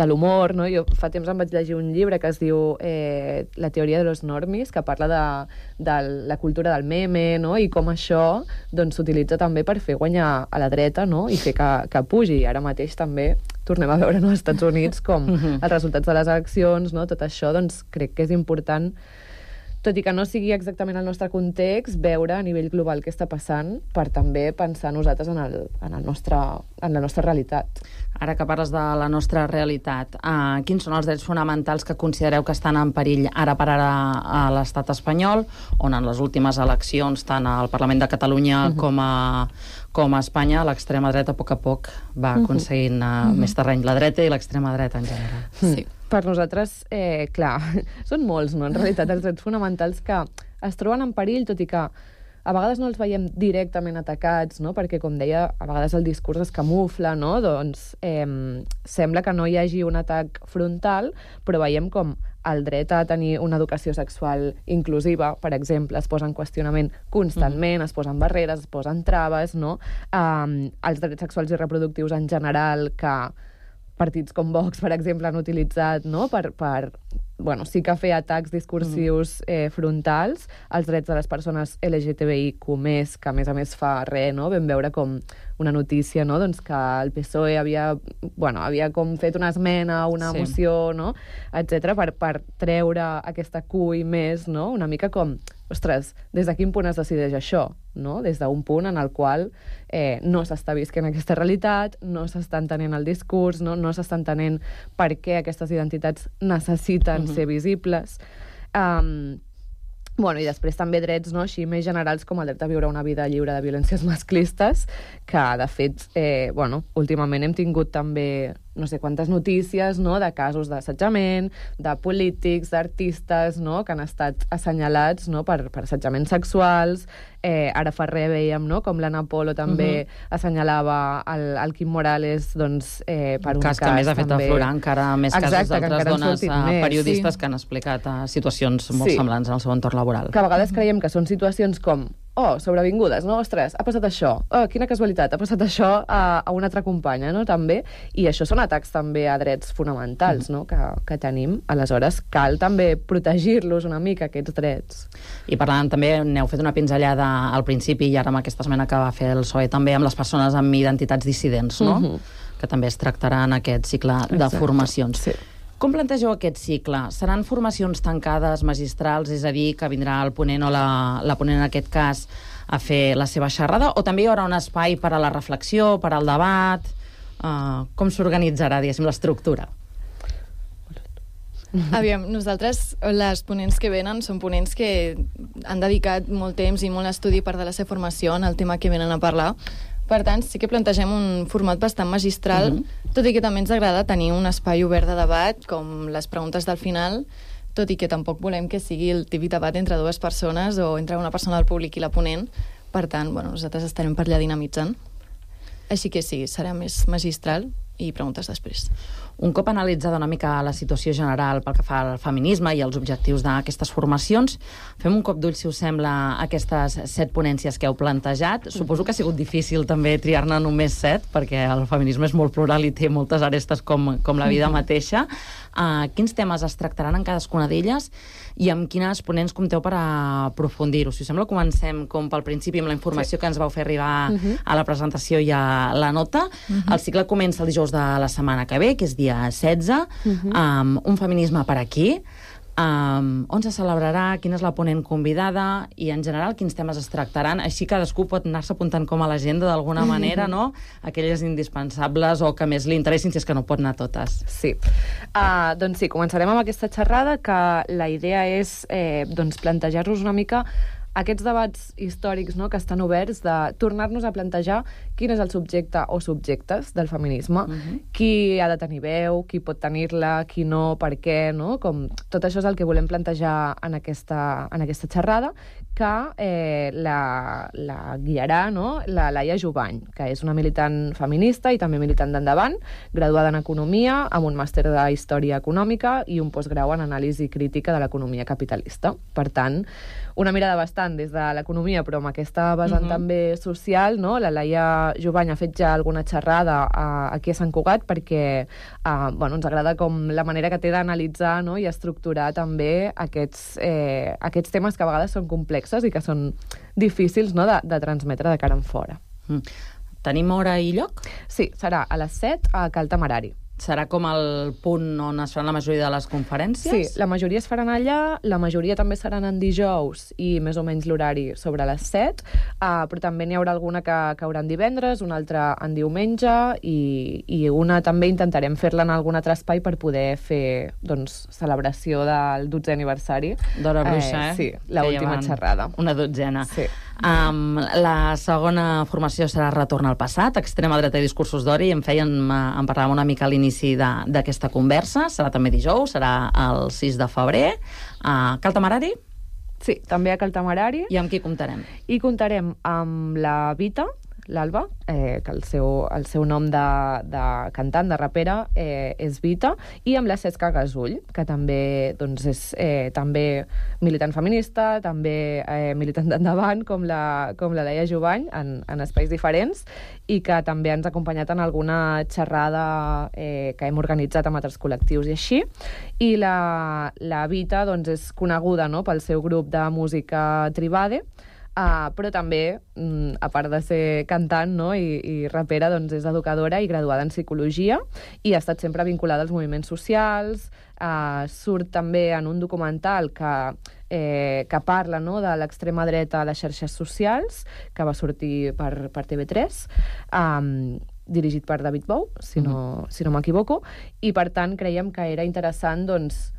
S20: de l'humor, no?, jo fa temps em vaig llegir un llibre que es diu eh, La teoria de los normis, que parla de, de la cultura del meme, no?, i com això doncs s'utilitza també per fer guanyar a la dreta, no?, i fer que, que pugi. Ara mateix també tornem a veure no, als Estats Units com els resultats de les eleccions, no?, tot això, doncs crec que és important, tot i que no sigui exactament el nostre context, veure a nivell global què està passant per també pensar nosaltres en, el, en, el nostre, en la nostra realitat.
S10: Ara que parles de la nostra realitat, uh, quins són els drets fonamentals que considereu que estan en perill ara per ara a l'estat espanyol, on en les últimes eleccions, tant al Parlament de Catalunya uh-huh. com, a, com a Espanya, l'extrema dreta a poc a poc va aconseguint uh, uh-huh. més terreny, la dreta i l'extrema dreta en general.
S20: Sí. Per nosaltres, eh, clar, són molts, no?, en realitat, els drets fonamentals que es troben en perill, tot i que a vegades no els veiem directament atacats, no?, perquè, com deia, a vegades el discurs es camufla, no?, doncs eh, sembla que no hi hagi un atac frontal, però veiem com el dret a tenir una educació sexual inclusiva, per exemple, es posa en qüestionament constantment, mm. es posen barreres, es posen traves, no?, eh, els drets sexuals i reproductius en general, que partits com Vox, per exemple, han utilitzat, no?, per, per bueno, sí que fer atacs discursius eh, frontals als drets de les persones L G T B I Q més, que a més a més fa res, no?, vam veure com una notícia, no?, doncs que el P S O E havia, bueno, havia com fet una esmena, una sí. moció, no?, etcètera, per, per treure aquesta Q i més, no?, una mica com, ostres, des de quin punt es decideix això, no?, des d'un punt en el qual eh, no s'està visquent aquesta realitat, no s'està entenent el discurs, no, no s'està entenent per què aquestes identitats necessiten uh-huh. ser visibles. Um, bueno, i després també drets, no?, així més generals com el dret a viure una vida lliure de violències masclistes, que de fet, eh, bueno, últimament hem tingut també no sé quantes notícies, no?, de casos d'assetjament, de polítics, d'artistes, no?, que han estat assenyalats, no?, per, per assetjaments sexuals. Eh, ara fa res veiem, no?, com l'Anna Polo també uh-huh. assenyalava el, el Quim Morales, doncs, eh, per un cas,
S10: cas que més ha fet
S20: també...
S10: aflorar encara més
S20: Exacte,
S10: casos d'altres dones
S20: més,
S10: periodistes
S20: sí.
S10: que han explicat uh, situacions molt
S20: sí.
S10: semblants en el seu entorn laboral.
S20: Que a vegades creiem que són situacions com oh, sobrevingudes, no? Ostres, ha passat això. Oh, quina casualitat, ha passat això a, a una altra companya, no? També. I això són atacs també a drets fonamentals, no? Que, que tenim. Aleshores, cal també protegir-los una mica, aquests drets.
S10: I parlant també, n'heu fet una pinzellada al principi i ara amb aquesta esmena que va fer el P S O E també amb les persones amb identitats dissidents, no? Uh-huh. Que també es tractarà en aquest cicle de Exacte. Formacions. Sí. Com plantegeu aquest cicle? Seran formacions tancades, magistrals, és a dir, que vindrà el ponent o la, la ponent en aquest cas a fer la seva xerrada, o també hi haurà un espai per a la reflexió, per al debat? Uh, com s'organitzarà, diguéssim, l'estructura?
S19: Aviam, nosaltres, les ponents que venen, són ponents que han dedicat molt temps i molt estudi per de la seva formació en el tema que venen a parlar. Per tant, sí que plantegem un format bastant magistral, uh-huh. tot i que també ens agrada tenir un espai obert de debat, com les preguntes del final, tot i que tampoc volem que sigui el típic debat entre dues persones o entre una persona del públic i la ponent. Per tant, bueno, nosaltres estarem per allà dinamitzant. Així que sí, serà més magistral i preguntes després.
S10: Un cop analitzada una mica la situació general pel que fa al feminisme i els objectius d'aquestes formacions, fem un cop d'ull, si us sembla, aquestes set ponències que heu plantejat. Suposo que ha sigut difícil també triar-ne només set, perquè el feminisme és molt plural i té moltes arestes com, com la vida mateixa. Uh, quins temes es tractaran en cadascuna d'elles i amb quines ponents compteu per aprofundir-ho? Si us sembla, comencem com pel principi amb la informació sí. que ens vau fer arribar uh-huh. a la presentació i a la nota. Uh-huh. El cicle comença el dijous de la setmana que ve, que és dia setze, uh-huh. um, un feminisme per aquí, um, on se celebrarà, quina és la ponent convidada i, en general, quins temes es tractaran. Així cadascú pot anar-se apuntant com a l'agenda d'alguna manera, no? Aquelles indispensables o que més li interessin, si és que no pot anar totes.
S20: Sí. Uh, doncs sí, començarem amb aquesta xerrada, que la idea és eh, doncs plantejar-nos una mica aquests debats històrics, no?, que estan oberts, de tornar-nos a plantejar quin és el subjecte o subjectes del feminisme, uh-huh. qui ha de tenir veu, qui pot tenir-la, qui no, per què, no? Com tot això és el que volem plantejar en aquesta, en aquesta xerrada, que eh, la, la guiarà, no?, la Laia Jubany, que és una militant feminista i també militant d'Endavant, graduada en Economia, amb un màster de Història Econòmica i un postgrau en Anàlisi Crítica de l'Economia Capitalista. Per tant, una mirada bastant des de l'economia, però amb aquesta vessant uh-huh. també social, no? La Laia Jubany ha fet ja alguna xerrada uh, aquí a Sant Cugat perquè uh, bueno, ens agrada com la manera que té d'analitzar, no?, i estructurar també aquests, eh, aquests temes que a vegades són complexos i que són difícils, no?, de, de transmetre de cara en fora.
S10: Mm. Tenim hora i lloc?
S20: Sí, serà a les set a Cal Temerari.
S10: Serà com el punt on es faran la majoria de les conferències?
S20: Sí, la majoria es faran allà, la majoria també seran en dijous i més o menys l'horari sobre les set, uh, però també n'hi haurà alguna que caurà en divendres, una altra en diumenge i, i una també intentarem fer-la en algun altre espai per poder fer, doncs, celebració del dotzè aniversari.
S10: D'Hora Bruixa, eh?
S20: eh? Sí, l'última xerrada.
S10: Una dotzena.
S20: Sí.
S10: Um, la segona formació serà Retorn al passat, extrema dreta i discursos d'ori, i en feien, en parlàvem una mica a l'inici d'aquesta conversa. Serà també dijous, serà el sis de febrer. A Cal Temerari?
S20: Sí, també a Cal Temerari.
S10: I amb qui comptarem?
S20: I comptarem amb la Vita, l'Alba, eh, que el seu, el seu nom de, de cantant, de rapera, eh, és Vita, i amb la Cesca Gasull, que també, doncs, és eh, també militant feminista, també eh, militant d'Endavant, com la, com la Laia Jubany, en, en espais diferents, i que també ens ha acompanyat en alguna xerrada eh, que hem organitzat amb altres col·lectius i així. I la, la Vita, doncs, és coneguda, no?, pel seu grup de música Tribade, Uh, però també, mm, a part de ser cantant, no?, i, i rapera, doncs és educadora i graduada en psicologia i ha estat sempre vinculada als moviments socials, uh, surt també en un documental que, eh, que parla, no?, de l'extrema dreta a les xarxes socials, que va sortir per, per T V tres, um, dirigit per David Bou, si no, si no m'equivoco, i per tant creiem que era interessant, doncs,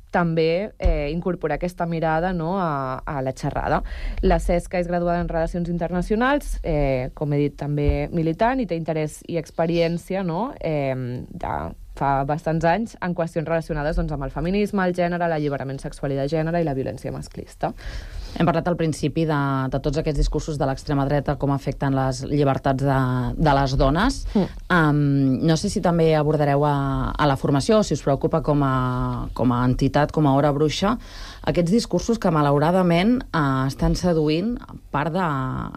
S20: també eh, incorporar aquesta mirada, no?, a, a la xerrada. La Cesca és graduada en Relacions Internacionals, eh, com he dit, també militant, i té interès i experiència, no?, eh, de fa bastants anys en qüestions relacionades, doncs, amb el feminisme, el gènere, l'alliberament sexual i de gènere i la violència masclista.
S10: Hem parlat al principi de, de tots aquests discursos de l'extrema dreta, com afecten les llibertats de, de les dones. Mm. Um, no sé si també abordareu a, a la formació, o si us preocupa com a, com a entitat, com a Hora Bruixa, aquests discursos que malauradament eh, estan seduint part de,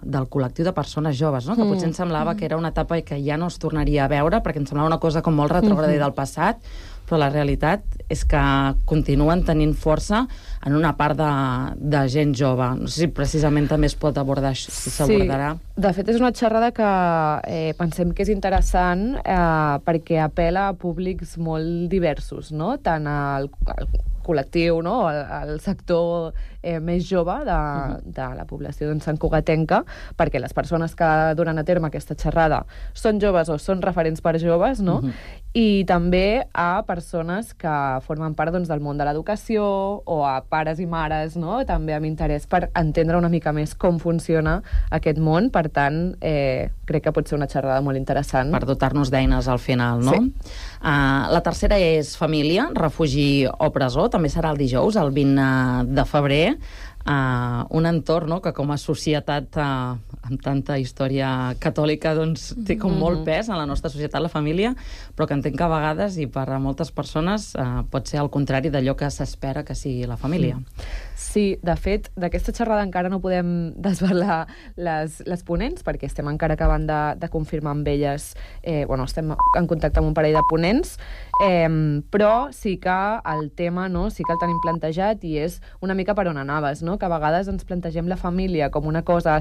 S10: del col·lectiu de persones joves, no? Que potser ens semblava que era una etapa que ja no es tornaria a veure, perquè ens semblava una cosa com molt retrògrada del passat, però la realitat és que continuen tenint força en una part de, de gent jove. No sé si precisament també es pot abordar, si s'abordarà.
S20: Sí, de fet és una xerrada que eh, pensem que és interessant eh, perquè apela a públics molt diversos, no? Tant al, al col·lectiu, no? al, al sector eh, més jove de, de la població doncs, santcugatenca, perquè les persones que duran a terme aquesta xerrada són joves o són referents per joves, no? Uh-huh. I també a persones que formen part doncs, del món de l'educació o a pares i mares, no? També amb interès per entendre una mica més com funciona aquest món. Per tant, eh, crec que pot ser una xerrada molt interessant.
S10: Per dotar-nos d'eines al final, no? Sí. Uh, la tercera és família, refugi o presó. També serà el dijous, el vint de febrer. Uh, un entorn, no?, que com a societat uh, amb tanta història catòlica doncs, té com molt pes en la nostra societat, la família, però que entenc que a vegades, i per a moltes persones, uh, pot ser al contrari d'allò que s'espera que sigui la família.
S20: Sí, de fet, d'aquesta xerrada encara no podem desvelar les, les ponents, perquè estem encara acabant de, de confirmar amb elles, eh, bueno, estem en contacte amb un parell de ponents, eh, però sí que el tema, no?, sí que el tenim plantejat i és una mica per on anaves, no?, que a vegades ens plantegem la família com una cosa